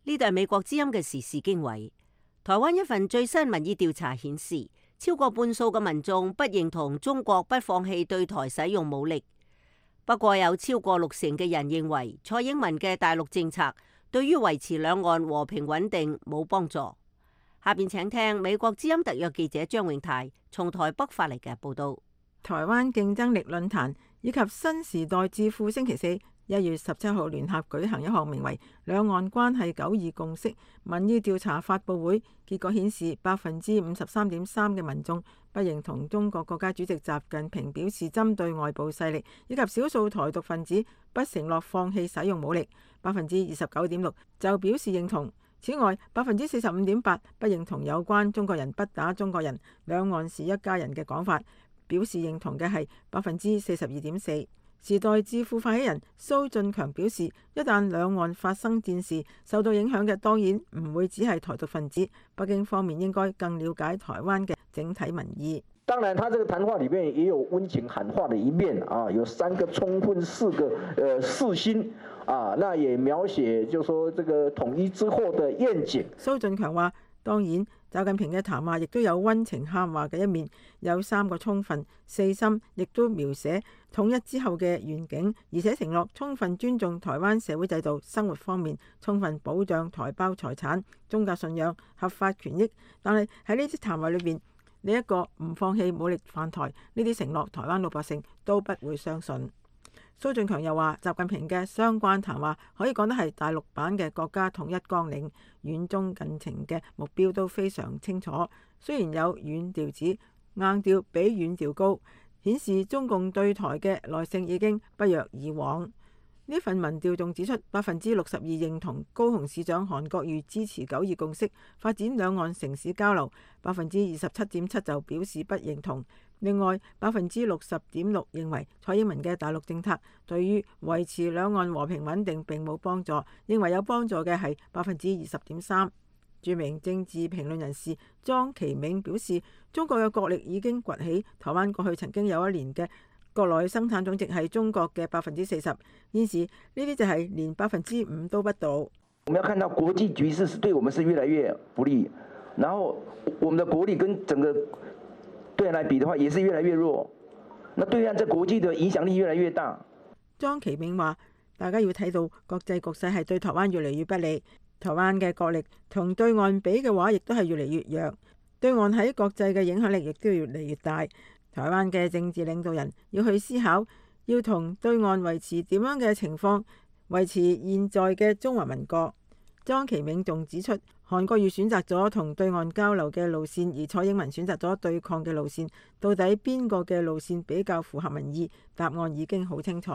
呢度係美國之音嘅時事經緯。台灣一份最新民意調查顯示，超過半數嘅民眾不認同中國不放棄對台使用武力。不過有超過60%嘅人認為蔡英文嘅大陸政策對於維持兩岸和平穩定冇幫助。下邊請聽美國之音特約記者張永泰從台北發嚟嘅報道。台灣競爭力論壇以及新時代智庫星期4 1月17號聯合舉行一項名為《兩岸關係92共識》民意調查發佈會，結果顯示53.3%嘅民眾不認同中國國家主席習近平表示針對外部勢力以及少數台獨分子不承諾放棄使用武力，29.6%就表示認同。此外，45.8%不認同有關中國人不打中國人、兩岸是一家人嘅講法，表示認同嘅係42.4%。時代智庫發起人蘇進強表示，一旦兩岸發生戰事，受到影響嘅當然唔會只係台獨分子，北京方面應該更了解台灣嘅整體民意。當然，他這個談話裏面也有溫情喊話的一面啊，有3個充分，4個四心啊，那也描寫就說這個統一之後的願景。蘇進強話：當然，習近平嘅談話亦都有溫情喊話嘅一面，有3個充分、4心，亦都描寫統一之後嘅願景，而且承諾充分尊重台灣社會制度、生活方面，充分保障台胞財產、宗教信仰、合法權益。但係喺呢啲談話裏邊，呢一個唔放棄武力犯台，呢啲承諾台灣老百姓都不會相信。蘇進強又話，習近平嘅相關談話可以講得係大陸版嘅國家統一綱領，遠中近程嘅目標都非常清楚。雖然有軟調子，硬調比軟調高，顯示中共對台嘅耐性已經不若以往。呢份民調仲指出，62%認同高雄市長韓國瑜支持92共識，發展兩岸城市交流，27.7%就表示不認同。另外，60.6%認為蔡英文嘅大陸政策對於維持兩岸和平穩定並冇幫助，認為有幫助嘅係20.3%。著名政治評論人士莊其銘表示，中國嘅國力已經崛起，台灣過去曾經有1年嘅國內生產總值係中國嘅40%，現時呢啲就係連5%都不到。我們要看到國際局勢是對我們是越來越不利，然後我們的國力跟整個對岸來比的話，也是越來越弱。那對岸在國際的影響力越來越大。莊其銘話：大家要睇到國際局勢係對台灣越嚟越不利，台灣嘅國力同對岸比嘅話，亦都係越嚟越弱。對岸喺國際嘅影響力亦都越嚟越大。台灣嘅政治領導人要去思考，要同對岸維持點樣嘅情況，維持現在嘅中華民國。莊其銘仲指出，韓國瑜選擇咗同對岸交流嘅路線，而蔡英文選擇咗對抗嘅路線，到底邊個嘅路線比較符合民意？答案已經好清楚。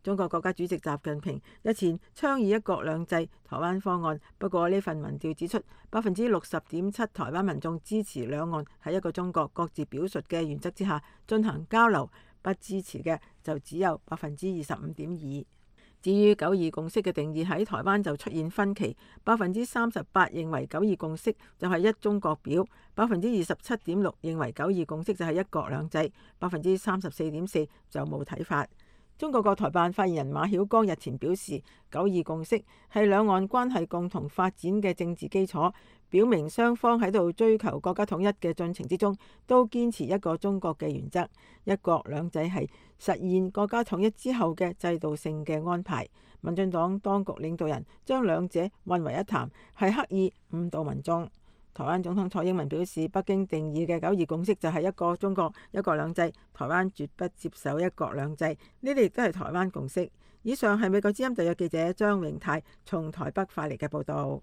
中國國家主席習近平日前倡議一國兩制台灣方案，不過呢份民調指出，60.7%台灣民眾支持兩岸喺一個中國各自表述嘅原則之下進行交流，不支持嘅就只有25.2%。至於92共識嘅定義喺台灣就出現分歧，38%認為92共識就係一中國表，27.6%認為92共識就係一國兩制，34.4%就冇睇法。中國國台辦發言人馬曉光日前表示，九二共識係兩岸關係共同發展嘅政治基礎，表明雙方喺度追求國家統一嘅進程之中，都堅持一個中國嘅原則。一國兩制係實現國家統一之後嘅制度性嘅安排。民進黨當局領導人將兩者混為一談，係刻意誤導民眾。台灣總統蔡英文表示，北京定義嘅九二共識就係一個中國、一國兩制，台灣絕不接受一國兩制，呢啲亦都係台灣共識。以上係美國之音特約記者張榮泰從台北發嚟嘅報導。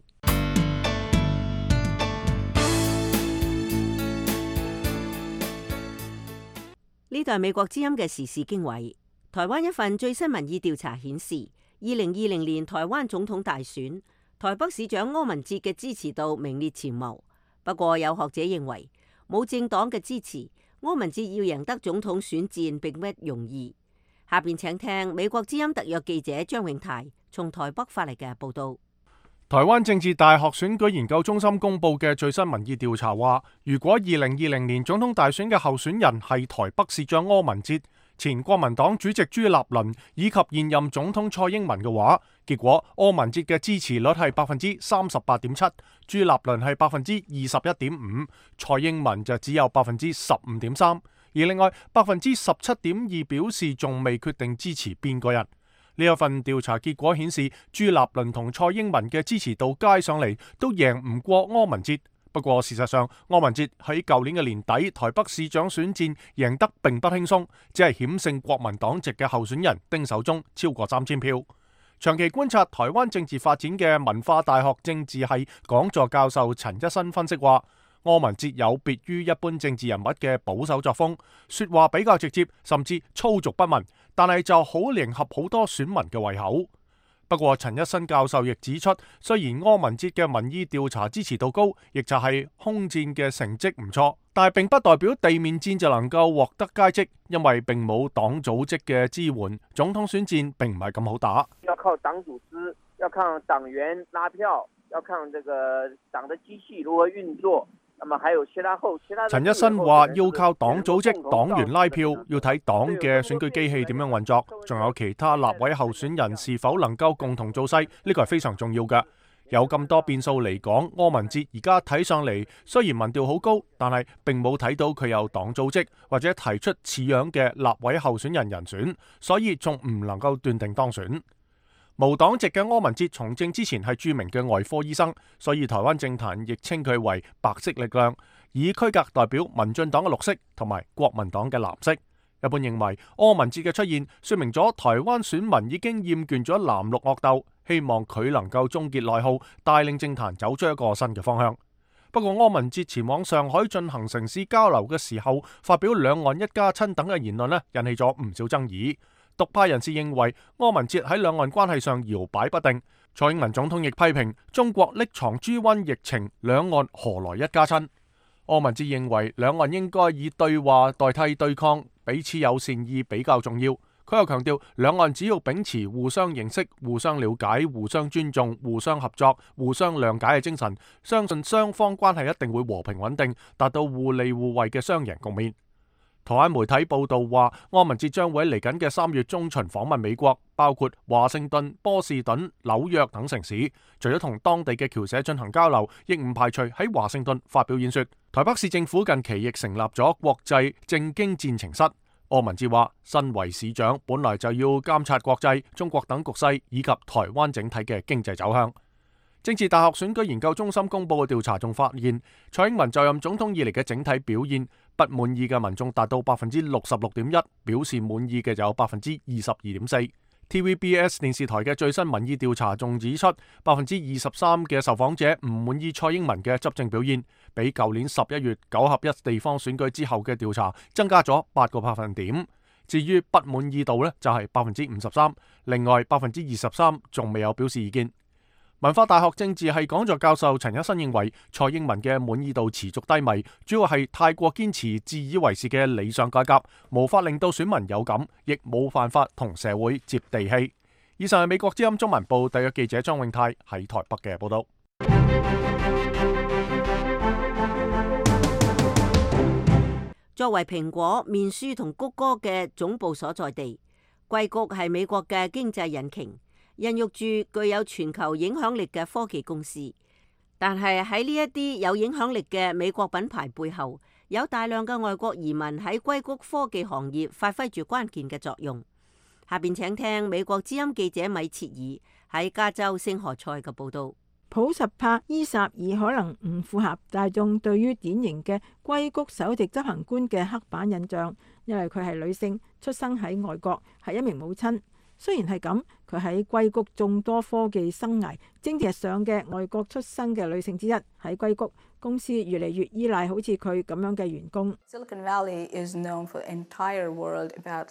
呢度係美國之音嘅時事經緯。台灣一份最新民意調查顯示，2020年台灣總統大選，台北市長柯文哲嘅支持度名列前茅。不過有學者認為，冇政黨嘅支持，柯文哲要贏得總統選戰並不容易。下邊請聽美國之音特約記者張永泰從台北發嚟嘅報道。台灣政治大學選舉研究中心公布嘅最新民意調查話，如果2020年總統大選嘅候選人係台北市長柯文哲、前國民黨主席朱立倫以及現任總統蔡英文嘅話，結果柯文哲嘅支持率係38.7%，朱立倫係21.5%，蔡英文就只有15.3%，而另外17.2%表示仲未決定支持邊個人。呢一份調查結果顯示，朱立倫同蔡英文嘅支持度加上嚟都贏唔過柯文哲。不過事實上，柯文哲喺舊年嘅年底台北市長選戰贏得並不輕鬆，只係險勝國民黨籍嘅候選人丁守中超過3000票。長期觀察台灣政治發展嘅文化大學政治系講座教授陳一新分析話，柯文哲有別於一般政治人物嘅保守作風，說話比較直接，甚至粗俗不文，但係就好迎合好多選民嘅胃口。不過陳一新教授亦指出，雖然柯文哲嘅民意調查支持度高，亦就係空戰嘅成績唔錯，但係並不代表地面戰就能夠獲得佳績，因為並冇黨組織嘅支援，總統選戰並唔係咁好打。要靠黨組織，要靠黨員拉票，要看這個黨的機器如何運作。陳一新話要靠黨組織、黨員拉票，要睇黨嘅選舉機器點樣運作，仲有其他立委候選人是否能夠共同造勢，呢個係非常重要嘅。有咁多變數嚟講，柯文哲而家睇上嚟雖然民調好高，但係並冇睇到佢有黨組織或者提出似樣嘅立委候選人人選，所以仲唔能夠斷定當選。無黨籍嘅柯文哲從政之前係著名嘅外科醫生，所以台灣政壇亦稱佢為白色力量，以區隔代表民進黨嘅綠色同埋國民黨嘅藍色。一般認為柯文哲嘅出現說明咗台灣選民已經厭倦咗藍綠惡鬥，希望佢能夠終結內耗，帶領政壇走出一個新嘅方向。不過柯文哲前往上海進行城市交流嘅時候，發表兩岸一家親等嘅言論呢，引起咗唔少爭議。獨派人士認為柯文哲喺兩岸關係上搖擺不定，蔡英文總統亦批評中國匿藏豬瘟疫情，兩岸何來一家親？柯文哲認為兩岸應該以對話代替對抗，彼此有善意比較重要。佢又強調，兩岸只要秉持互相認識、互相了解、互相尊重、互相合作、互相諒解嘅精神，相信雙方關係一定會和平穩定，達到互利互惠嘅雙贏局面。台灣媒體報道話，柯文哲將會喺嚟緊嘅3月中旬訪問美國，包括華盛頓、波士頓、紐約等城市。除咗同當地嘅僑社進行交流，亦唔排除喺華盛頓發表演說。台北市政府近期亦成立咗國際政經戰情室。柯文哲話，身為市長，本來就要監察國際、中國等局勢以及台灣整體嘅經濟走向。政治大學選舉研究中心公布嘅調查仲發現，蔡英文就任總統以嚟嘅整體表現，不滿意嘅民眾達到66.1%，表示滿意嘅就有22.4%。TVBS 電視台嘅最新民意調查仲指出，23%嘅受訪者唔滿意蔡英文嘅執政表現，比舊年11月9合一地方選舉之後嘅調查增加咗8個百分點。至於不滿意度呢，就係53%，另外23%仲未有表示意見。文化大學政治系講座教授陳一新認為，蔡英文嘅滿意度持續低迷，主要係太過堅持自以為是嘅理想改革，無法令到選民有感，亦冇辦法同社會接地氣。以上係美國之音中文部特約記者張永泰喺台北嘅報道。作為蘋果、面書同谷歌嘅總部所在地，硅谷係美國嘅經濟引擎，孕育住具有全球影響力嘅科技公司。但係喺呢一啲有影響力嘅美國品牌背後，有大量嘅外國移民喺硅谷科技行業發揮住關鍵嘅作用。下邊請聽美國之音記者米切爾喺加州聖何塞嘅報導。普什帕伊薩爾可能唔符合大眾對於典型嘅硅谷首席執行官嘅刻板印象，因為佢係女性，出生喺外國，係一名母親。雖然係咁，佢喺硅谷眾多科技生涯政治上嘅外國出生嘅女性之一。喺硅谷，公司越嚟越依賴好似佢咁樣嘅員工。Silicon Valley is known for the entire world about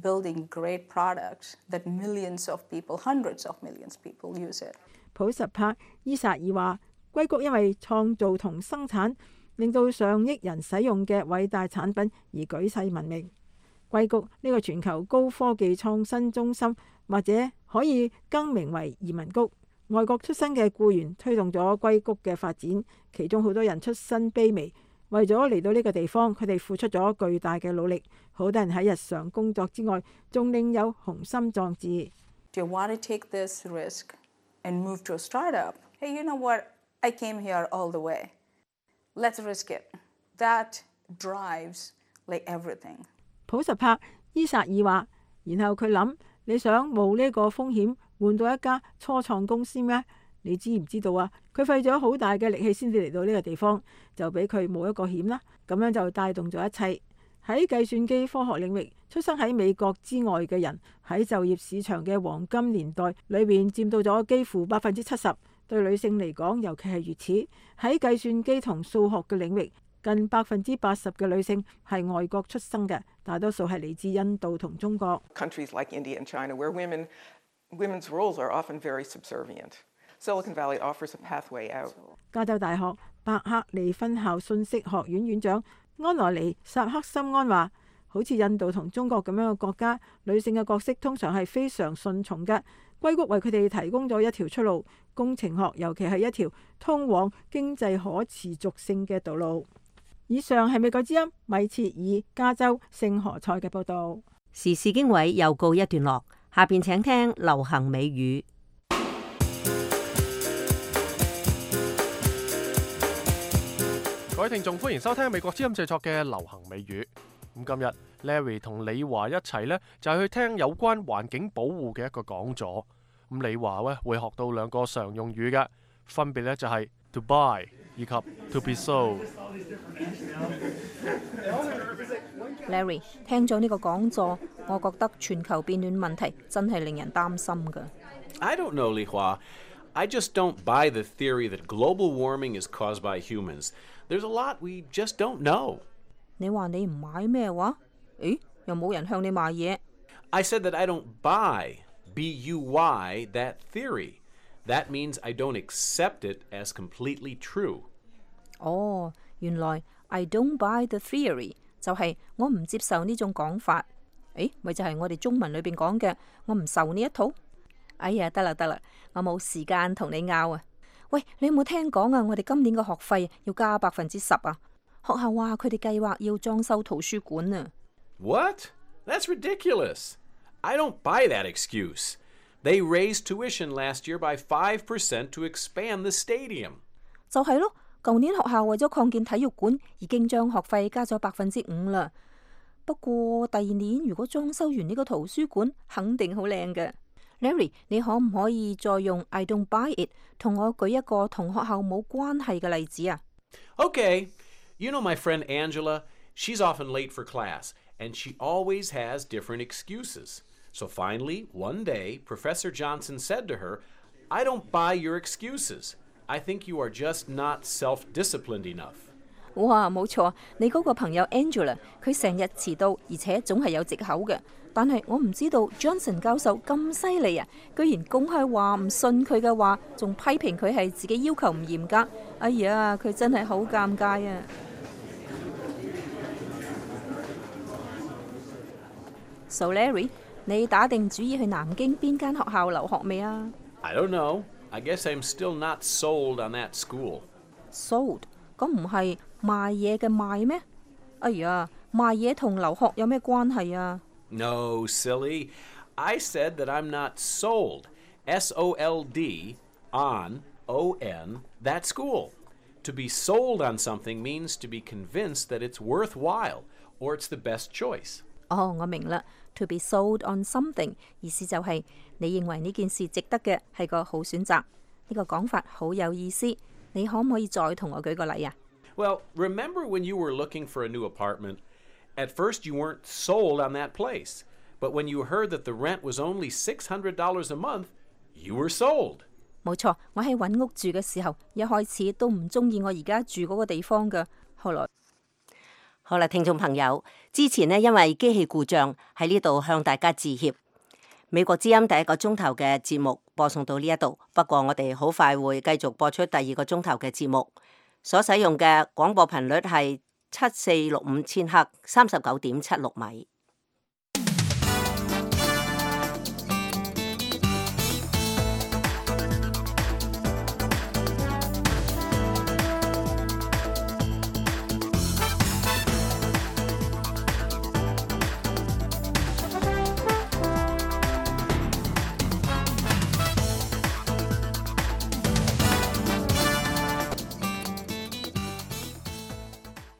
building great products that millions of people, hundreds of millions of people use it. 普什帕伊薩爾話：硅谷因為創造同生產令到上億人使用嘅偉大產品而舉世聞名。硅谷呢個全球高科技創新中心，或者可以更名為移民谷。外國出身嘅僱員推動咗硅谷嘅發展，其中好多人出身卑微，為咗嚟到呢個地方，佢哋付出咗巨大嘅努力。好多人喺日常工作之外，仲另有雄心壯志。If you want to take this risk and move to a startup, hey, you know what? I came here all the way. Let's risk it. That drives everything. 普什帕伊薩爾話，然後佢諗：你想冒呢個風險換到一家初創公司咩？你知唔知道啊？佢費咗好大嘅力氣先至嚟到呢個地方，就俾佢冒一個險啦。咁樣就帶動咗一切。喺計算機科學領域，出生喺美國之外嘅人喺就業市場嘅黃金年代裏邊佔到咗幾乎70%。對女性嚟講，尤其係如此。喺計算機同數學嘅領域，近80%嘅女性係外國出生嘅，大多數係嚟自印度同中國。Countries like India and China, where women's roles are often very subservient. Silicon Valley offers a pathway out. 加州大學伯克利分校信息學院院長安羅尼薩克森安話：好似印度同中國咁樣嘅國家，女性嘅角色通常係非常順從嘅。硅谷為佢哋提供咗一條出路，工程學尤其係一條通往經濟可持續性嘅道路。以上係美國之音米切爾加州聖何塞嘅報導。時事經緯又告一段落，下邊請聽流行美語。各位聽眾，歡迎收聽美國之音製作嘅流行美語。咁今日 Larry 同李華一齊呢，就係去聽有關環境保護嘅一個講座。咁李華呢會學到2個常用語嘅，分別呢就係 to buy 以及 to be sold。Larry 聽咗呢個講座，我覺得全球變暖問題真係令人擔心㗎。I don't know, Li Hua.I just don't buy the theory that global warming is caused by humans. There's a lot we just don't know. 你話你唔買咩話？誒，又冇人向你買嘢。I said that I don't buy, B-U-Y, that theory. That means I don't accept it as completely true. 哦，原來 I don't buy the theory 就係我唔接受呢種講法。誒，咪就係我哋中文裏邊講嘅，我唔受呢一套。哎呀，得啦，我冇時間同你拗啊！喂，你有冇聽講啊？我哋今年嘅學費要加10%啊！學校話佢哋計劃要裝修圖書館啊！ What? That's ridiculous. I don't buy that excuse. They raised tuition last year by 5% to expand the stadium. 就係咯，舊年學校為咗擴建體育館，已經將學費加咗5%啦。不過第2年如果裝修完呢個圖書館，肯定好靚嘅。Larry， 你可唔可以再用 I don't buy it 同我舉一個同學校冇關係嘅例子啊？ Okay, you know my friend Angela, she's often late for class, and she always has different excuses. So finally, one day, Professor Johnson said to her, I don't buy your excuses. I think you are just not self-disciplined enough. 哇，冇錯，你嗰個朋友 Angela， 佢成日遲到，而且總係有藉口嘅。但係我唔知道 Johnson 教授咁犀利啊，居然公開話唔信佢嘅話，仲批評佢係自己要求唔嚴格。哎呀，佢真係好尷尬啊！ So Larry， 你打定主意去南京邊間學校留學未啊？ I don't know. I guess I'm still not sold on that school. Sold？ 咁唔係賣嘢嘅賣咩？哎呀，賣嘢同留學有咩關係啊？ No, silly. I said that I'm not sold. S-O-L-D on O-N, that school. To be sold on something means to be convinced that it's worthwhile or it's the best choice. 哦，我明啦。To be sold on something 意思就係你認為呢件事值得嘅係個好選擇。呢個講法好有意思。你可唔可以再同我舉個例啊？ Well, remember when you were looking for a new apartment? At first you weren't sold on that place. But when you heard that the rent was only $600 a month, you were sold. 冇錯，我喺揾屋住嘅時候，一開始都唔中意我而家住嗰個地方㗎。後來，好啦，聽眾朋友，之前呢因為機器故障喺呢度向大家致歉。美國之音第一個鐘頭嘅節目播送到呢一度，不過我哋好快會繼續播出第二個鐘頭嘅節目，所使用嘅廣播頻率係7465千赫39.76米。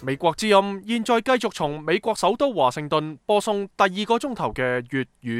美國之音現在繼續從美國首都華盛頓播送第二個鐘頭嘅粵語